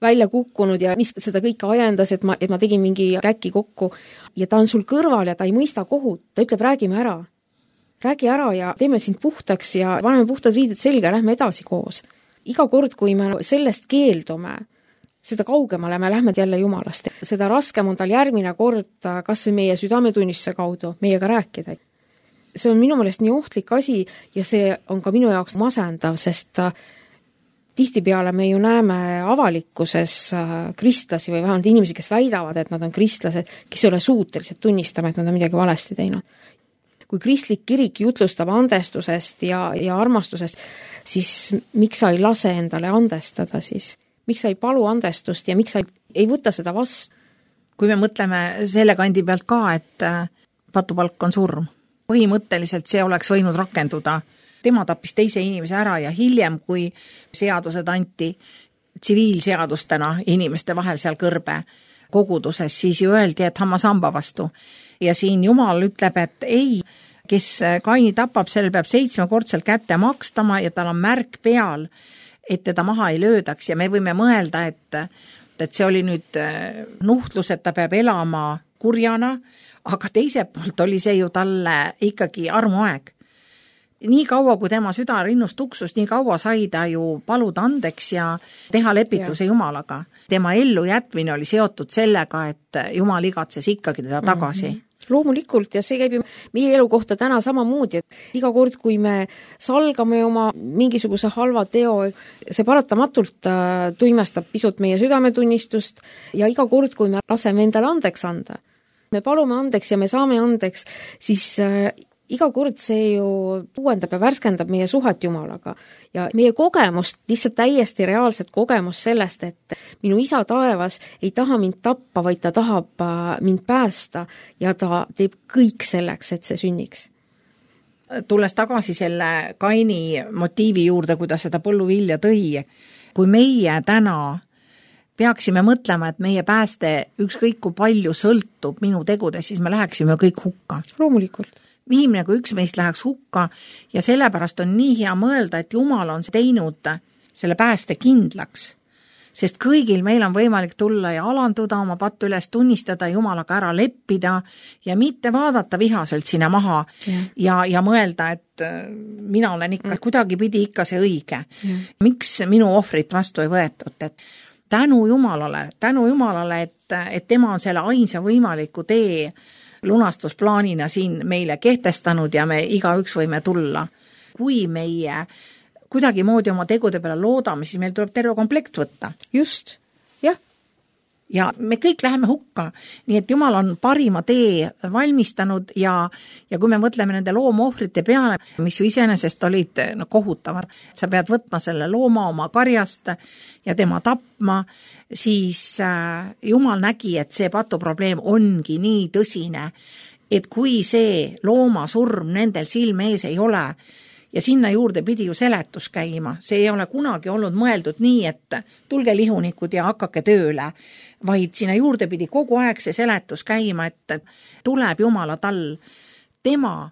välja kukkunud ja mis seda kõike ajendas, et ma, et ma tegin mingi käki kokku. Ja ta on sul kõrval ja ta ei mõista kohut, ta ütleb, räägime ära. Räägi ära ja teeme sind puhtaks ja paneme puhtad riided selga, lähme edasi koos. Iga kord, kui me sellest keeldume, seda kaugemale me lähme jälle Jumalast. Seda raskem on tal järgmine kord kas või meie südametunnistuse kaudu meiega rääkida. See on minu meelest nii ohtlik asi ja see on ka minu jaoks masendav, sest tihtipeale me ju näeme avalikkuses kristlasi või vähemalt inimesi, kes väidavad, et nad on kristlased, kes ei ole suutelised tunnistama, et nad on midagi valesti teinud. Kui kristlik kirik jutlustab andestusest ja, ja armastusest, siis miks sa ei lase endale andestada siis? Miks sa ei palu andestust ja miks sa ei, ei võta seda vastu? Kui me mõtleme selle kandi pealt ka, et patupalk on surm, põhimõtteliselt see oleks võinud rakenduda. Tema tappis teise inimese ära ja hiljem, kui seadused anti tsiviilseadustena inimeste vahel seal kõrbe koguduses, siis ju öeldi, et hammasamba vastu. Ja siin Jumal ütleb, et ei, kes Kaini tapab, sellel peab seitsmekordselt kätte makstama ja tal on märk peal, et teda maha ei löödaks ja me võime mõelda, et, et see oli nüüd nuhtlus, et ta peab elama kurjana, aga teiselt poolt oli see ju talle ikkagi armuaeg. Nii kaua, kui tema süda rinnust tuksus, nii kaua sai ta ju paluda andeks ja teha lepituse ja. Jumalaga. Tema ellu jätmine oli seotud sellega, et Jumal igatses ikkagi teda tagasi. Mm-hmm. Loomulikult ja see käib ju meie elu kohta täna samamoodi, et iga kord, kui me salgame oma mingisuguse halva teo, see paratamatult tuimestab pisut meie südametunnistust ja iga kord, kui me laseme endale andeks anda, me palume andeks ja me saame andeks, siis iga kord see ju uuendab ja värskendab meie suhet Jumalaga ja meie kogemust, lihtsalt täiesti reaalset kogemust sellest, et minu isa taevas ei taha mind tappa, vaid ta tahab mind päästa ja ta teeb kõik selleks, et see sünniks. Tulles tagasi selle Kaini motiivi juurde, kuidas seda põlluvilja tõi, kui meie täna peaksime mõtlema, et meie pääste ükskõik kui palju sõltub minu tegudes, siis me läheksime kõik hukka. Loomulikult. Viimne, kui üks meist läheks hukka ja sellepärast on nii hea mõelda, et Jumal on teinud selle pääste kindlaks. sest kõigil meil on võimalik tulla ja alanduda, oma pattu üles tunnistada, Jumalaga ära leppida ja mitte vaadata vihaselt sinna maha ja, ja, ja mõelda, et mina olen ikka, mm. kuidagi pidi ikka see õige. Ja. Miks minu ohvrit vastu ei võetud, et tänu Jumalale, tänu Jumalale, et, et tema on selle ainsa võimaliku tee lunastusplaanina siin meile kehtestanud ja me igaüks võime tulla. Kui meie kuidagi moodi oma tegude peale loodame, siis meil tuleb terve komplekt võtta. Just, jah. Ja me kõik läheme hukka, nii et Jumal on parima tee valmistanud ja, ja kui me mõtleme nende loomaohvrite peale, mis ju iseenesest olid no, kohutavad, sa pead võtma selle looma oma karjast ja tema tapma, siis äh, Jumal nägi, et see patuprobleem ongi nii tõsine, et kui see looma surm nendel silme ees ei ole, ja sinna juurde pidi ju seletus käima. See ei ole kunagi olnud mõeldud nii, et tulge lihunikud ja hakake tööle, vaid sinna juurde pidi kogu aeg see seletus käima, et tuleb Jumala tall. Tema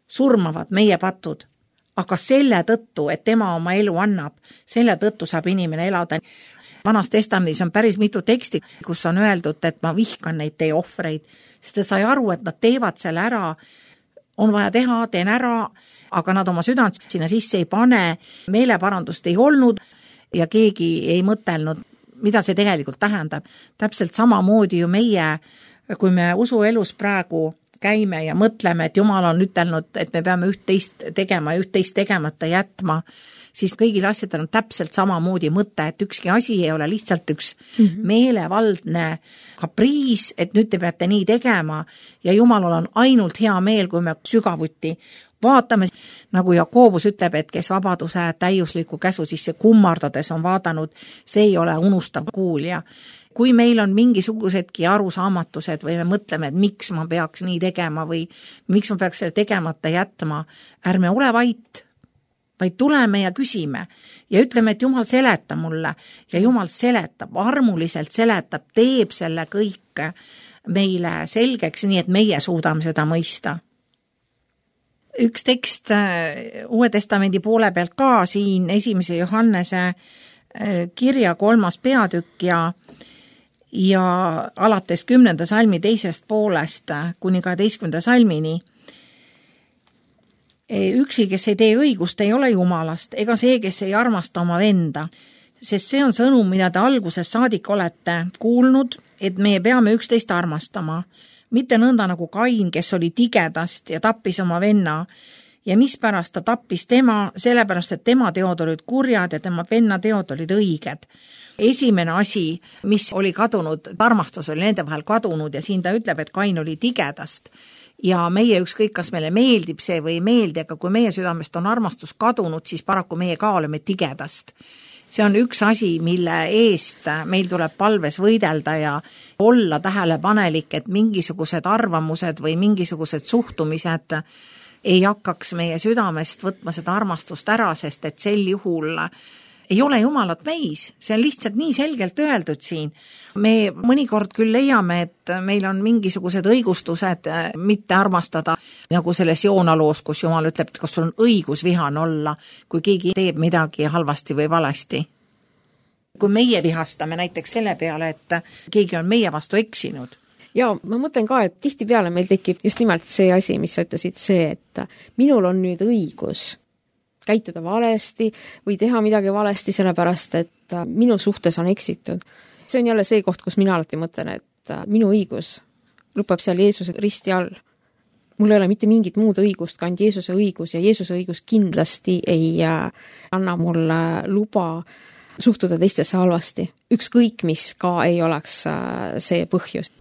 surmavad meie patud, aga selle tõttu, et tema oma elu annab, selle tõttu saab inimene elada. Vanas testamendis on päris mitu teksti, kus on öeldud, et ma vihkan neid teie ohvreid, sest ta sai aru, et nad teevad selle ära, on vaja teha, teen ära, aga nad oma südant sinna sisse ei pane, meeleparandust ei olnud ja keegi ei mõtelnud, mida see tegelikult tähendab. Täpselt samamoodi ju meie, kui me usuelus praegu käime ja mõtleme, et Jumal on ütelnud, et me peame üht-teist tegema ja üht-teist tegemata jätma, siis kõigil asjadel on täpselt samamoodi mõte, et ükski asi ei ole lihtsalt üks mm-hmm. meelevaldne kapriis, et nüüd te peate nii tegema ja Jumalal on ainult hea meel, kui me sügavuti vaatame, nagu Jakoobus ütleb, et kes vabaduse täiusliku käsu sisse kummardades on vaadanud, see ei ole unustav kuulja. Kui meil on mingisugusedki arusaamatused või me mõtleme, et miks ma peaks nii tegema või miks ma peaks selle tegemata jätma, ärme ole vait, vaid tuleme ja küsime ja ütleme, et Jumal seleta mulle ja Jumal seletab, armuliselt seletab, teeb selle kõik meile selgeks, nii et meie suudame seda mõista. Üks tekst Uue Testamendi poole pealt ka siin esimese Johannese kirja kolmas peatükk ja, ja alates kümnenda salmi teisest poolest kuni kaheteistkümnenda salmini. Üksi, kes ei tee õigust, ei ole Jumalast, ega see, kes ei armasta oma venda, sest see on sõnum, mida te alguses saadik olete kuulnud, et meie peame üksteist armastama. Mitte nõnda nagu Kain, kes oli tigedast ja tappis oma venna ja mispärast ta tappis tema, sellepärast, et tema teod olid kurjad ja tema venna teod olid õiged. Esimene asi, mis oli kadunud, armastus oli nende vahel kadunud ja siin ta ütleb, et Kain oli tigedast ja meie ükskõik, kas meile meeldib see või ei meeldi, aga kui meie südamest on armastus kadunud, siis paraku meie ka oleme tigedast. See on üks asi, mille eest meil tuleb palves võidelda ja olla tähelepanelik, et mingisugused arvamused või mingisugused suhtumised ei hakkaks meie südamest võtma seda armastust ära, sest et sel juhul ei ole Jumalat meis. See on lihtsalt nii selgelt öeldud siin. Me mõnikord küll leiame, et meil on mingisugused õigustused mitte armastada, nagu selles Joona loos, kus Jumal ütleb, et kas sul on õigus vihane olla, kui keegi teeb midagi halvasti või valesti. Kui meie vihastame näiteks selle peale, et keegi on meie vastu eksinud. Ja ma mõtlen ka, et tihtipeale meil tekib just nimelt see asi, mis sa ütlesid, see, et minul on nüüd õigus käituda valesti või teha midagi valesti, sellepärast, et minu suhtes on eksitud. See on jälle see koht, kus mina alati mõtlen, et minu õigus lõpeb seal Jeesuse risti all. Mul ei ole mitte mingit muud õigust, kui ainult Jeesuse õigus ja Jeesuse õigus kindlasti ei anna mulle luba suhtuda teistesse halvasti. Ükskõik, mis ka ei oleks see põhjus.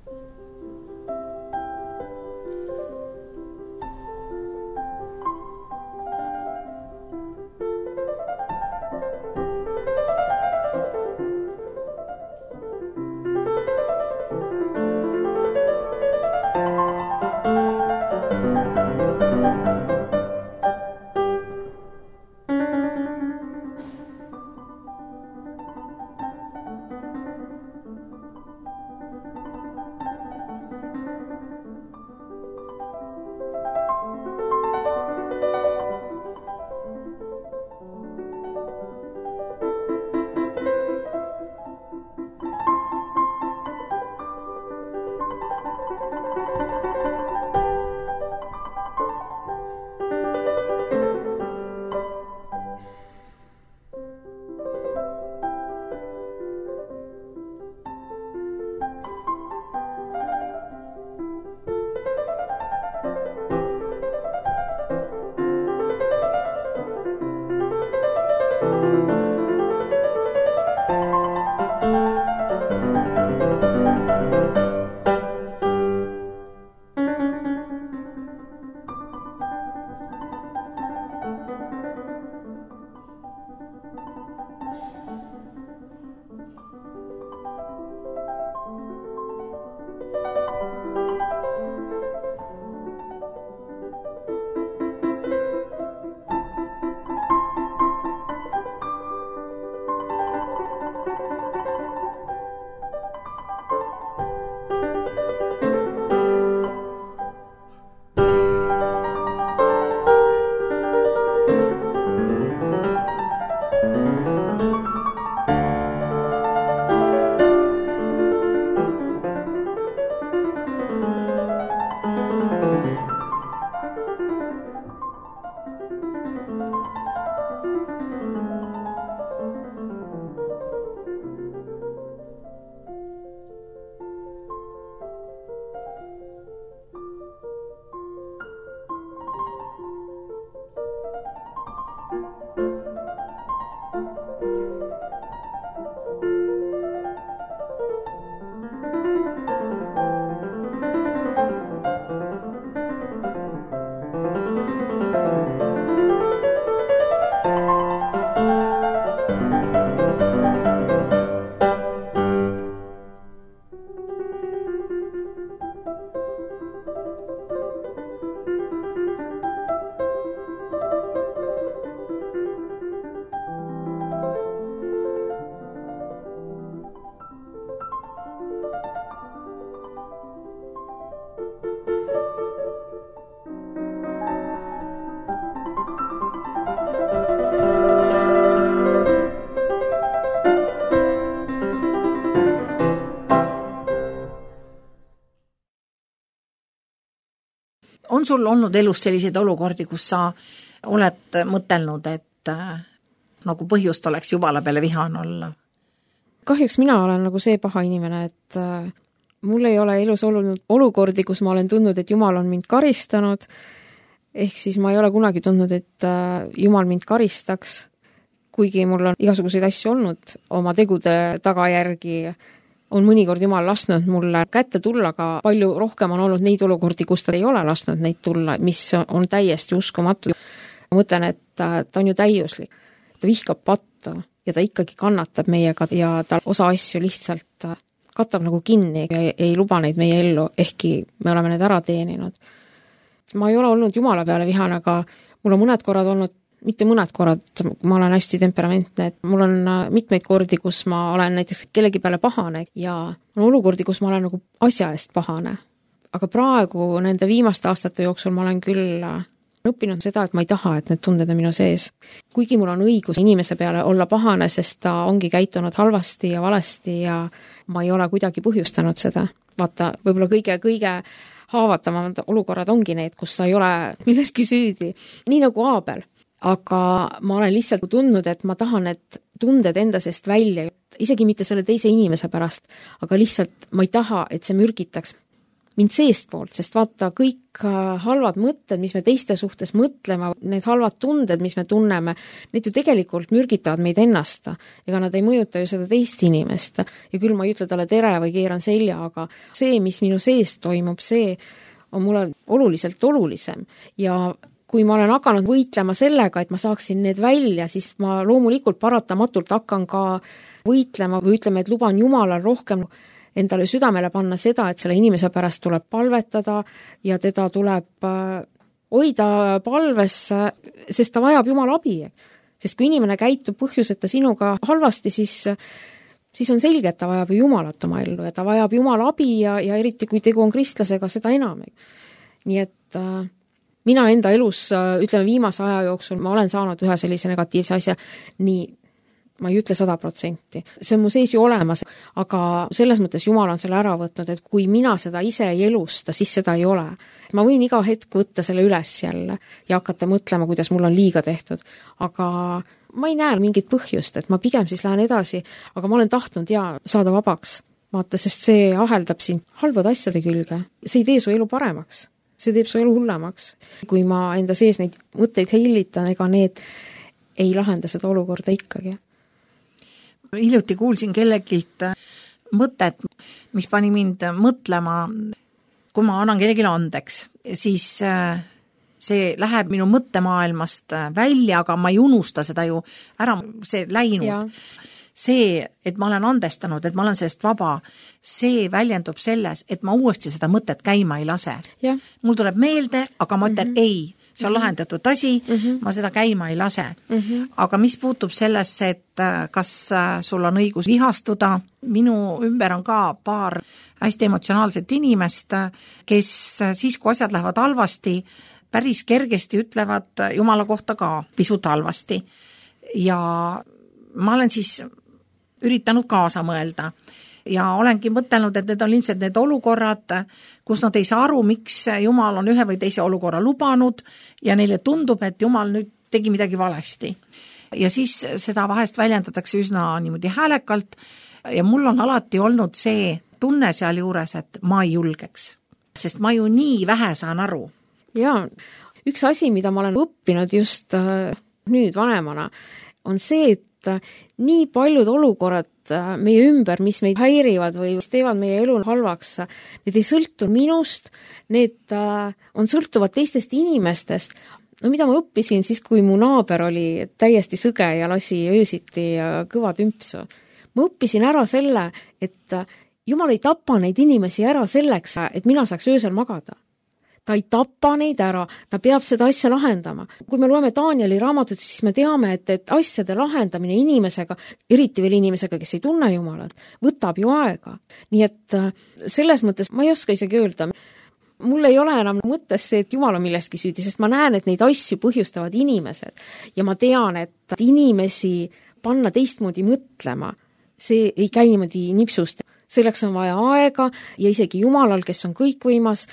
On sul olnud elus selliseid olukordi, kus sa oled mõtelnud, et äh, nagu põhjust oleks Jumala peale vihane olla? Kahjuks mina olen nagu see paha inimene, et äh, mul ei ole elus olnud olukordi, kus ma olen tundnud, et Jumal on mind karistanud, ehk siis ma ei ole kunagi tundnud, et äh, Jumal mind karistaks, kuigi mul on igasuguseid asju olnud oma tegude tagajärgi, on mõnikord Jumal lasknud mulle kätte tulla, aga palju rohkem on olnud neid olukordi, kus ta ei ole lasknud neid tulla, mis on täiesti uskumatu. Ma mõtlen, et ta, ta on ju täiuslik. Ta vihkab pattu ja ta ikkagi kannatab meiega ja ta osa asju lihtsalt katab nagu kinni ja ei, ei luba neid meie ellu, ehkki me oleme need ära teeninud. Ma ei ole olnud Jumala peale vihane, aga mul on mõned korrad olnud, mitte mõned korrad, ma olen hästi temperamentne, et mul on mitmeid kordi, kus ma olen näiteks kellegi peale pahane ja on olukordi, kus ma olen nagu asja eest pahane. Aga praegu nende viimaste aastate jooksul ma olen küll õppinud seda, et ma ei taha, et need tunded on minu sees. Kuigi mul on õigus inimese peale olla pahane, sest ta ongi käitunud halvasti ja valesti ja ma ei ole kuidagi põhjustanud seda. Vaata, võib-olla kõige, kõige haavatavamad olukorrad ongi need, kus sa ei ole milleski süüdi. Nii nagu Aabel. Aga ma olen lihtsalt tundnud, et ma tahan need tunded enda seest välja, isegi mitte selle teise inimese pärast, aga lihtsalt ma ei taha, et see mürgitaks mind seest poolt, sest vaata, kõik halvad mõtted, mis me teiste suhtes mõtlema, need halvad tunded, mis me tunneme, need ju tegelikult mürgitavad meid ennast. Ega nad ei mõjuta ju seda teist inimest. Ja küll ma ei ütle talle tere või keeran selja, aga see, mis minu seest toimub, see on mulle oluliselt olulisem. Ja kui ma olen hakanud võitlema sellega, et ma saaksin need välja, siis ma loomulikult paratamatult hakkan ka võitlema või ütleme, et luban Jumalal rohkem endale südamele panna seda, et selle inimese pärast tuleb palvetada ja teda tuleb hoida palves, sest ta vajab Jumala abi. Sest kui inimene käitub põhjuseta sinuga halvasti, siis, siis on selge, et ta vajab Jumalat oma ellu ja ta vajab Jumala abi ja, ja eriti kui tegu on kristlasega, seda enam. Nii et mina enda elus, ütleme viimase aja jooksul, ma olen saanud ühe sellise negatiivse asja, nii ma ei ütle sada protsenti. See on mu sees ju olemas, aga selles mõttes Jumal on selle ära võtnud, et kui mina seda ise ei elusta, siis seda ei ole. Ma võin iga hetk võtta selle üles jälle ja hakata mõtlema, kuidas mul on liiga tehtud, aga ma ei näe mingit põhjust, et ma pigem siis lähen edasi, aga ma olen tahtnud ja saada vabaks. Vaata, sest see aheldab sind halbade asjade külge. See ei tee su elu paremaks. See teeb su elu hullemaks. Kui ma enda sees neid mõtteid heilitan, ega need ei lahenda seda olukorda ikkagi. Hiljuti kuulsin kellegilt mõtet, mis pani mind mõtlema, kui ma annan kellelegi andeks, siis see läheb minu mõttemaailmast välja, aga ma ei unusta seda ju ära, see läinud. Ja. See, et ma olen andestanud, et ma olen sellest vaba, see väljendub selles, et ma uuesti seda mõtet käima ei lase. Ja. Mul tuleb meelde, aga ma ütlen mm-hmm. ei, see on lahendatud asi, mm-hmm. ma seda käima ei lase. Mm-hmm. Aga mis puutub sellesse, et kas sul on õigus vihastuda, minu ümber on ka paar hästi emotsionaalset inimest, kes siis, kui asjad lähevad halvasti, päris kergesti ütlevad Jumala kohta ka pisut halvasti. Ja ma olen siis üritanud kaasa mõelda ja olengi mõtelnud, et need on ilmselt need olukorrad, kus nad ei saa aru, miks Jumal on ühe või teise olukorra lubanud ja neile tundub, et Jumal nüüd tegi midagi valesti. Ja siis seda vahest väljendatakse üsna niimoodi häälekalt ja mul on alati olnud see tunne seal juures, et ma ei julgeks, sest ma ju nii vähe saan aru. Jaa, üks asi, mida ma olen õppinud just nüüd vanemana, on see, et nii paljud olukorrad meie ümber, mis meid häirivad või teevad meie elu halvaks, need ei sõltu minust, need on sõltuvad teistest inimestest. No mida ma õppisin siis, kui mu naaber oli täiesti sõge ja lasi öösiti kõva tümpsu. Ma õppisin ära selle, et Jumal ei tapa neid inimesi ära selleks, et mina saaks öösel magada. Ta ei tapa neid ära, ta peab seda asja lahendama. Kui me loeme Danieli raamatut, siis me teame, et, et asjade lahendamine inimesega, eriti veel inimesega, kes ei tunne Jumalat, võtab ju aega. Nii et selles mõttes ma ei oska isegi öelda, mul ei ole enam mõttes see, et Jumal on millestki süüdi, sest ma näen, et neid asju põhjustavad inimesed. Ja ma tean, et inimesi panna teistmoodi mõtlema, see ei käi niimoodi nipsust. Selleks on vaja aega ja isegi Jumalal, kes on kõikvõimas,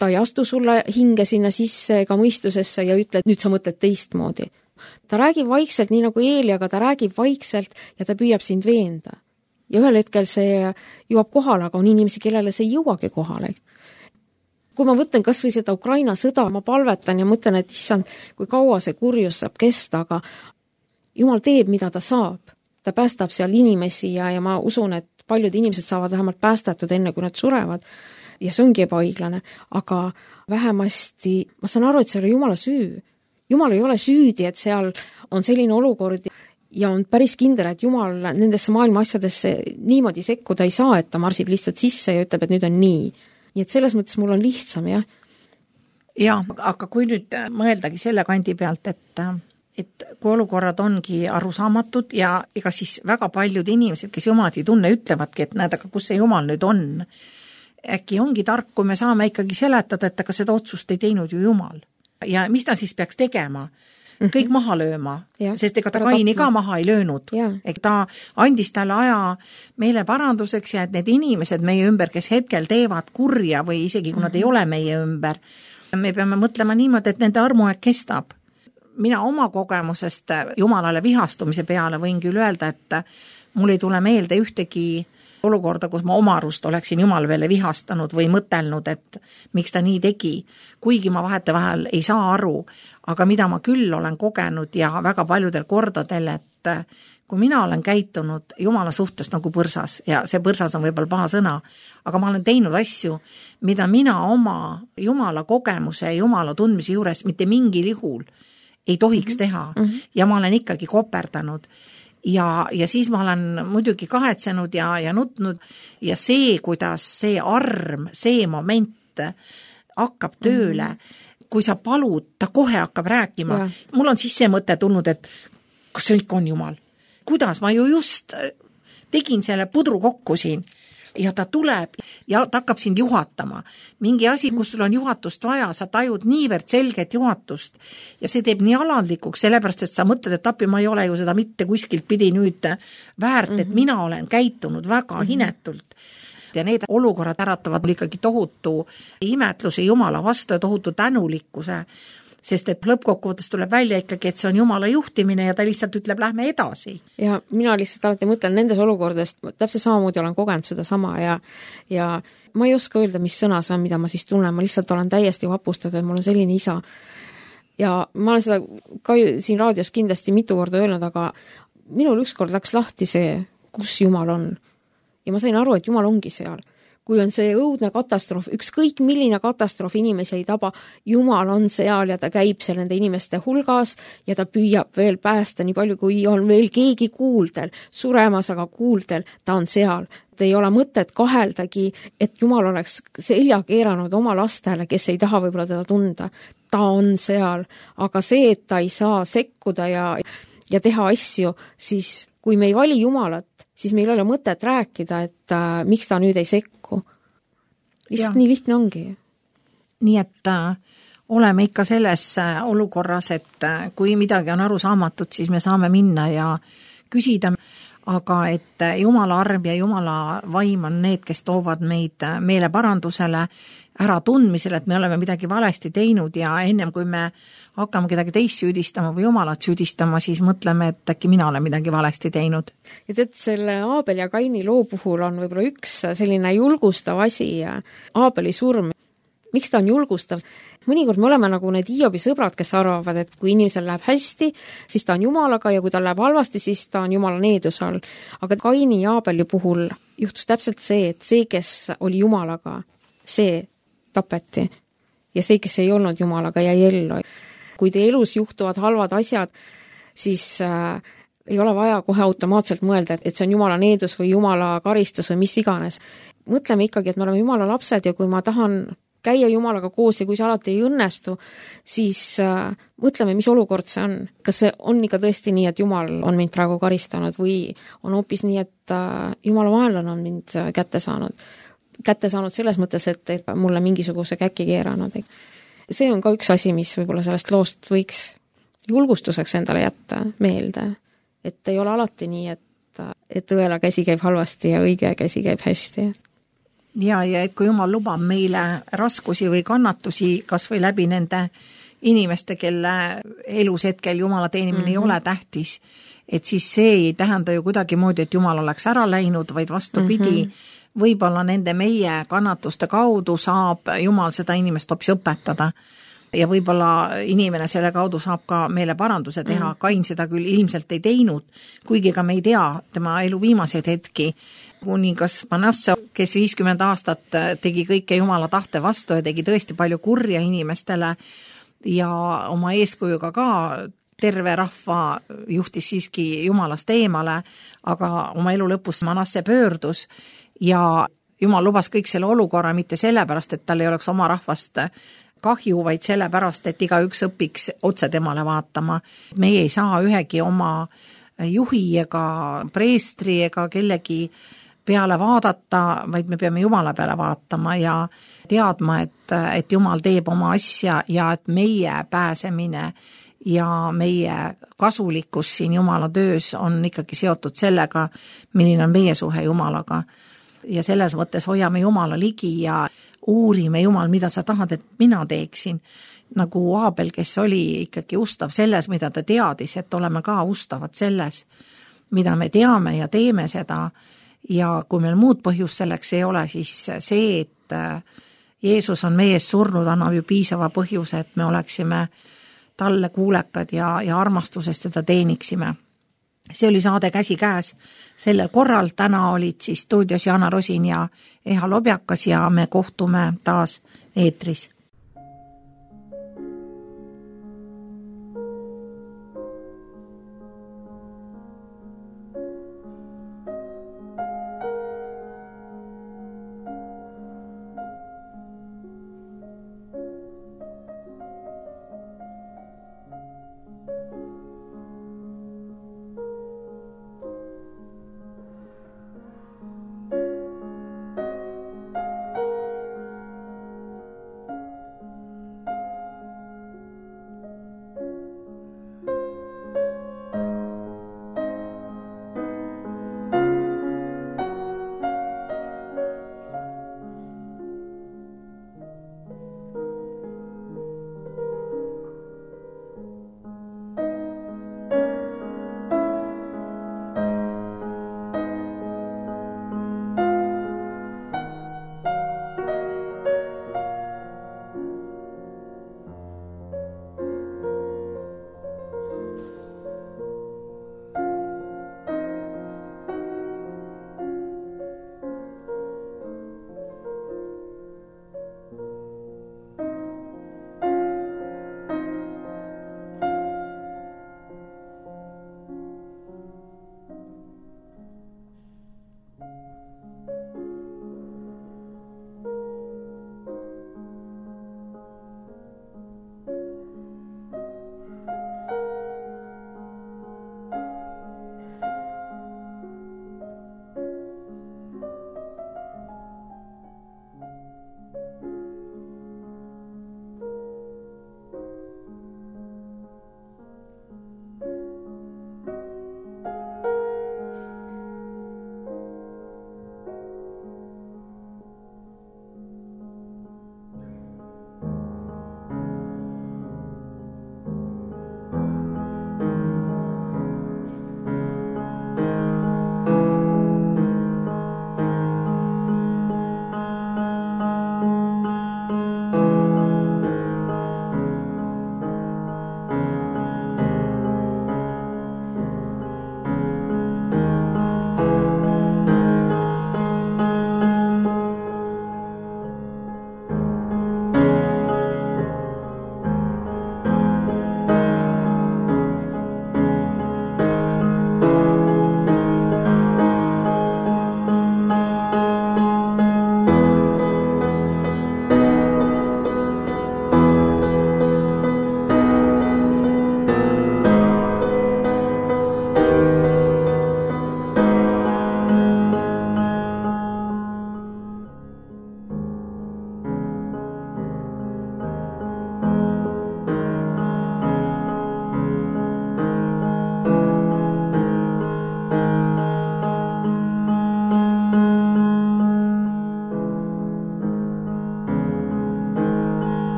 ta ei astu sulle hinge sinna sisse ega mõistusesse ja ütle, et nüüd sa mõtled teistmoodi. Ta räägib vaikselt, nii nagu Eeli, aga ta räägib vaikselt ja ta püüab sind veenda. Ja ühel hetkel see jõuab kohale, aga on inimesi, kellele see ei jõuagi kohale. Kui ma võtan kas või seda Ukraina sõda, ma palvetan ja mõtlen, et issand, kui kaua see kurjus saab kesta, aga Jumal teeb, mida ta saab. Ta päästab seal inimesi ja, ja ma usun, et paljud inimesed saavad vähemalt päästatud enne, kui nad surevad. Ja see ongi ebaõiglane, aga vähemasti ma saan aru, et see oli Jumala süü. Jumal ei ole süüdi, et seal on selline olukord ja on päris kindel, et Jumal nendesse maailma asjadesse niimoodi sekkuda ei saa, et ta marsib lihtsalt sisse ja ütleb, et nüüd on nii. Nii et selles mõttes mul on lihtsam, jah. Ja, aga kui nüüd mõeldagi selle kandi pealt, et, et kui olukorrad ongi arusaamatud ja ega siis väga paljud inimesed, kes Jumalat ei tunne, ütlevadki, et näed, aga kus see Jumal nüüd on? Äkki ongi tark, kui me saame ikkagi seletada, et aga seda otsust ei teinud ju Jumal. Ja mis ta siis peaks tegema? Kõik maha lööma, ja, sest ega ta Kaini ka maha ei löönud. Ega ta andis talle aja meile paranduseks ja et need inimesed meie ümber, kes hetkel teevad kurja või isegi kui nad ei ole meie ümber, me peame mõtlema niimoodi, et nende armuaeg kestab. Mina oma kogemusest Jumalale vihastumise peale võin küll öelda, et mul ei tule meelde ühtegi olukorda, kus ma oma arust oleksin Jumal veel vihastanud või mõtelnud, et miks ta nii tegi, kuigi ma vahete vahel ei saa aru, aga mida ma küll olen kogenud ja väga paljudel kordadel, et kui mina olen käitunud Jumala suhtes nagu põrsas ja see põrsas on võib-olla paha sõna, aga ma olen teinud asju, mida mina oma Jumala kogemuse ja Jumala tundmise juures mitte mingil juhul ei tohiks teha mm-hmm. ja ma olen ikkagi koperdanud. Ja, ja siis ma olen muidugi kahetsenud ja, ja nutnud ja see, kuidas see arm, see moment hakkab tööle, mm-hmm. kui sa palud, ta kohe hakkab rääkima. Ja. Mul on siis see mõte tulnud, et kas see ikka on Jumal? Kuidas? Ma ju just tegin selle pudru kokku siin ja ta tuleb ja ta hakkab sind juhatama. Mingi asi, kus sul on juhatust vaja, sa tajud niivõrd selget juhatust ja see teeb nii alandlikuks, sellepärast, et sa mõtled, et appi ma ei ole ju seda mitte kuskilt pidi nüüd väärt, et mina olen käitunud väga hinetult. Ja need olukorrad äratavad mul ikkagi tohutu imetluse Jumala vastu ja tohutu tänulikkuse, sest et lõppkokkuvõttes tuleb välja ikkagi, et see on Jumala juhtimine ja ta lihtsalt ütleb, lähme edasi. Ja mina lihtsalt alati mõtlen nendes olukordest, täpselt samamoodi olen kogenud seda sama ja, ja ma ei oska öelda, mis sõna see on, mida ma siis tunnen, ma lihtsalt olen täiesti vapustatud, et mul on selline isa. ja ma olen seda ka siin raadios kindlasti mitu korda öelnud, aga minul ükskord läks lahti see, kus Jumal on. Ja ma sain aru, et Jumal ongi seal. Kui on see õudne katastroof, ükskõik milline katastroof inimesi ei taba, Jumal on seal ja ta käib seal nende inimeste hulgas ja ta püüab veel päästa nii palju, kui on veel keegi kuuldel, suremas, aga kuuldel, ta on seal. Ta ei ole mõtet kaheldagi, et Jumal oleks selja keeranud oma lastele, kes ei taha võib-olla teda tunda. Ta on seal, aga see, et ta ei saa sekkuda ja, ja teha asju, siis kui me ei vali Jumalat, siis meil ei ole mõtet rääkida, et äh, miks ta nüüd ei sekku. Lihtsalt nii lihtne ongi. Nii et äh, oleme ikka selles äh, olukorras, et äh, kui midagi on arusaamatut, siis me saame minna ja küsida, aga et äh, Jumala arm ja Jumala vaim on need, kes toovad meid äh, meeleparandusele, ära tundmisele, et me oleme midagi valesti teinud ja ennem kui me hakkame kedagi teist süüdistama või Jumalat süüdistama, siis mõtleme, et äkki mina olen midagi valesti teinud. Ja tead, selle Aabel ja Kaini loo puhul on võib-olla üks selline julgustav asi, Aabeli surm. Miks ta on julgustav? Mõnikord me oleme nagu need Hiobi sõbrad, kes arvavad, et kui inimesel läheb hästi, siis ta on Jumalaga ja kui ta läheb halvasti, siis ta on Jumala needuse all. Aga Kaini ja Aabeli puhul juhtus täpselt see, et see, kes oli Jumalaga, see tapeti ja see, kes ei olnud Jumalaga, jäi ellu. Kui teie elus juhtuvad halvad asjad, siis äh, ei ole vaja kohe automaatselt mõelda, et see on Jumala needus või Jumala karistus või mis iganes. Mõtleme ikkagi, et me oleme Jumala lapsed ja kui ma tahan käia Jumalaga koos ja kui see alati ei õnnestu, siis äh, mõtleme, mis olukord see on. Kas see on ikka tõesti nii, et Jumal on mind praegu karistanud või on hoopis nii, et äh, Jumala vaenlane on mind kätte saanud. Kätte saanud selles mõttes, et, et mulle mingisuguse käki keeranud. See on ka üks asi, mis võib-olla sellest loost võiks julgustuseks endale jätta meelde. Et ei ole alati nii, et, et õela käsi käib halvasti ja õige käsi käib hästi. Ja, ja et kui Jumal lubab meile raskusi või kannatusi, kas või läbi nende inimeste, kelle elus hetkel Jumala teenimine mm-hmm. ei ole tähtis, et siis see ei tähenda ju kuidagi moodi, et Jumal oleks ära läinud, vaid vastupidi, mm-hmm. võib-olla nende meie kannatuste kaudu saab Jumal seda inimest hoopis õpetada ja võib-olla inimene selle kaudu saab ka meile paranduse teha. Mm. Kain seda küll ilmselt ei teinud, kuigi ka me ei tea tema elu viimaseid hetki. Kuningas Manasse, kes viiskümmend aastat tegi kõike Jumala tahte vastu ja tegi tõesti palju kurja inimestele ja oma eeskujuga ka terve rahva juhtis siiski Jumalast eemale, aga oma elu lõpus Manasse pöördus ja Jumal lubas kõik selle olukorra mitte sellepärast, et tal ei oleks oma rahvast kahju, vaid sellepärast, et igaüks õpiks otse temale vaatama. Meie ei saa ühegi oma juhi ega preestri ega kellegi peale vaadata, vaid me peame Jumala peale vaatama ja teadma, et, et Jumal teeb oma asja ja et meie pääsemine ja meie kasulikkus siin Jumala töös on ikkagi seotud sellega, milline on meie suhe Jumalaga. Ja selles mõttes hoiame Jumala ligi ja uurime Jumal, mida sa tahad, et mina teeksin. Nagu Aabel, kes oli ikkagi ustav selles, mida ta teadis, et oleme ka ustavad selles, mida me teame ja teeme seda. Ja kui meil muud põhjus selleks ei ole, siis see, et Jeesus on meie ees surnud, annab ju piisava põhjuse, et me oleksime talle kuulekad ja, ja armastusest teda teeniksime. See oli saade Käsi käes. Sellel korral täna olid siis stuudios Jana Rosin ja Eha Lobjakas ja me kohtume taas eetris.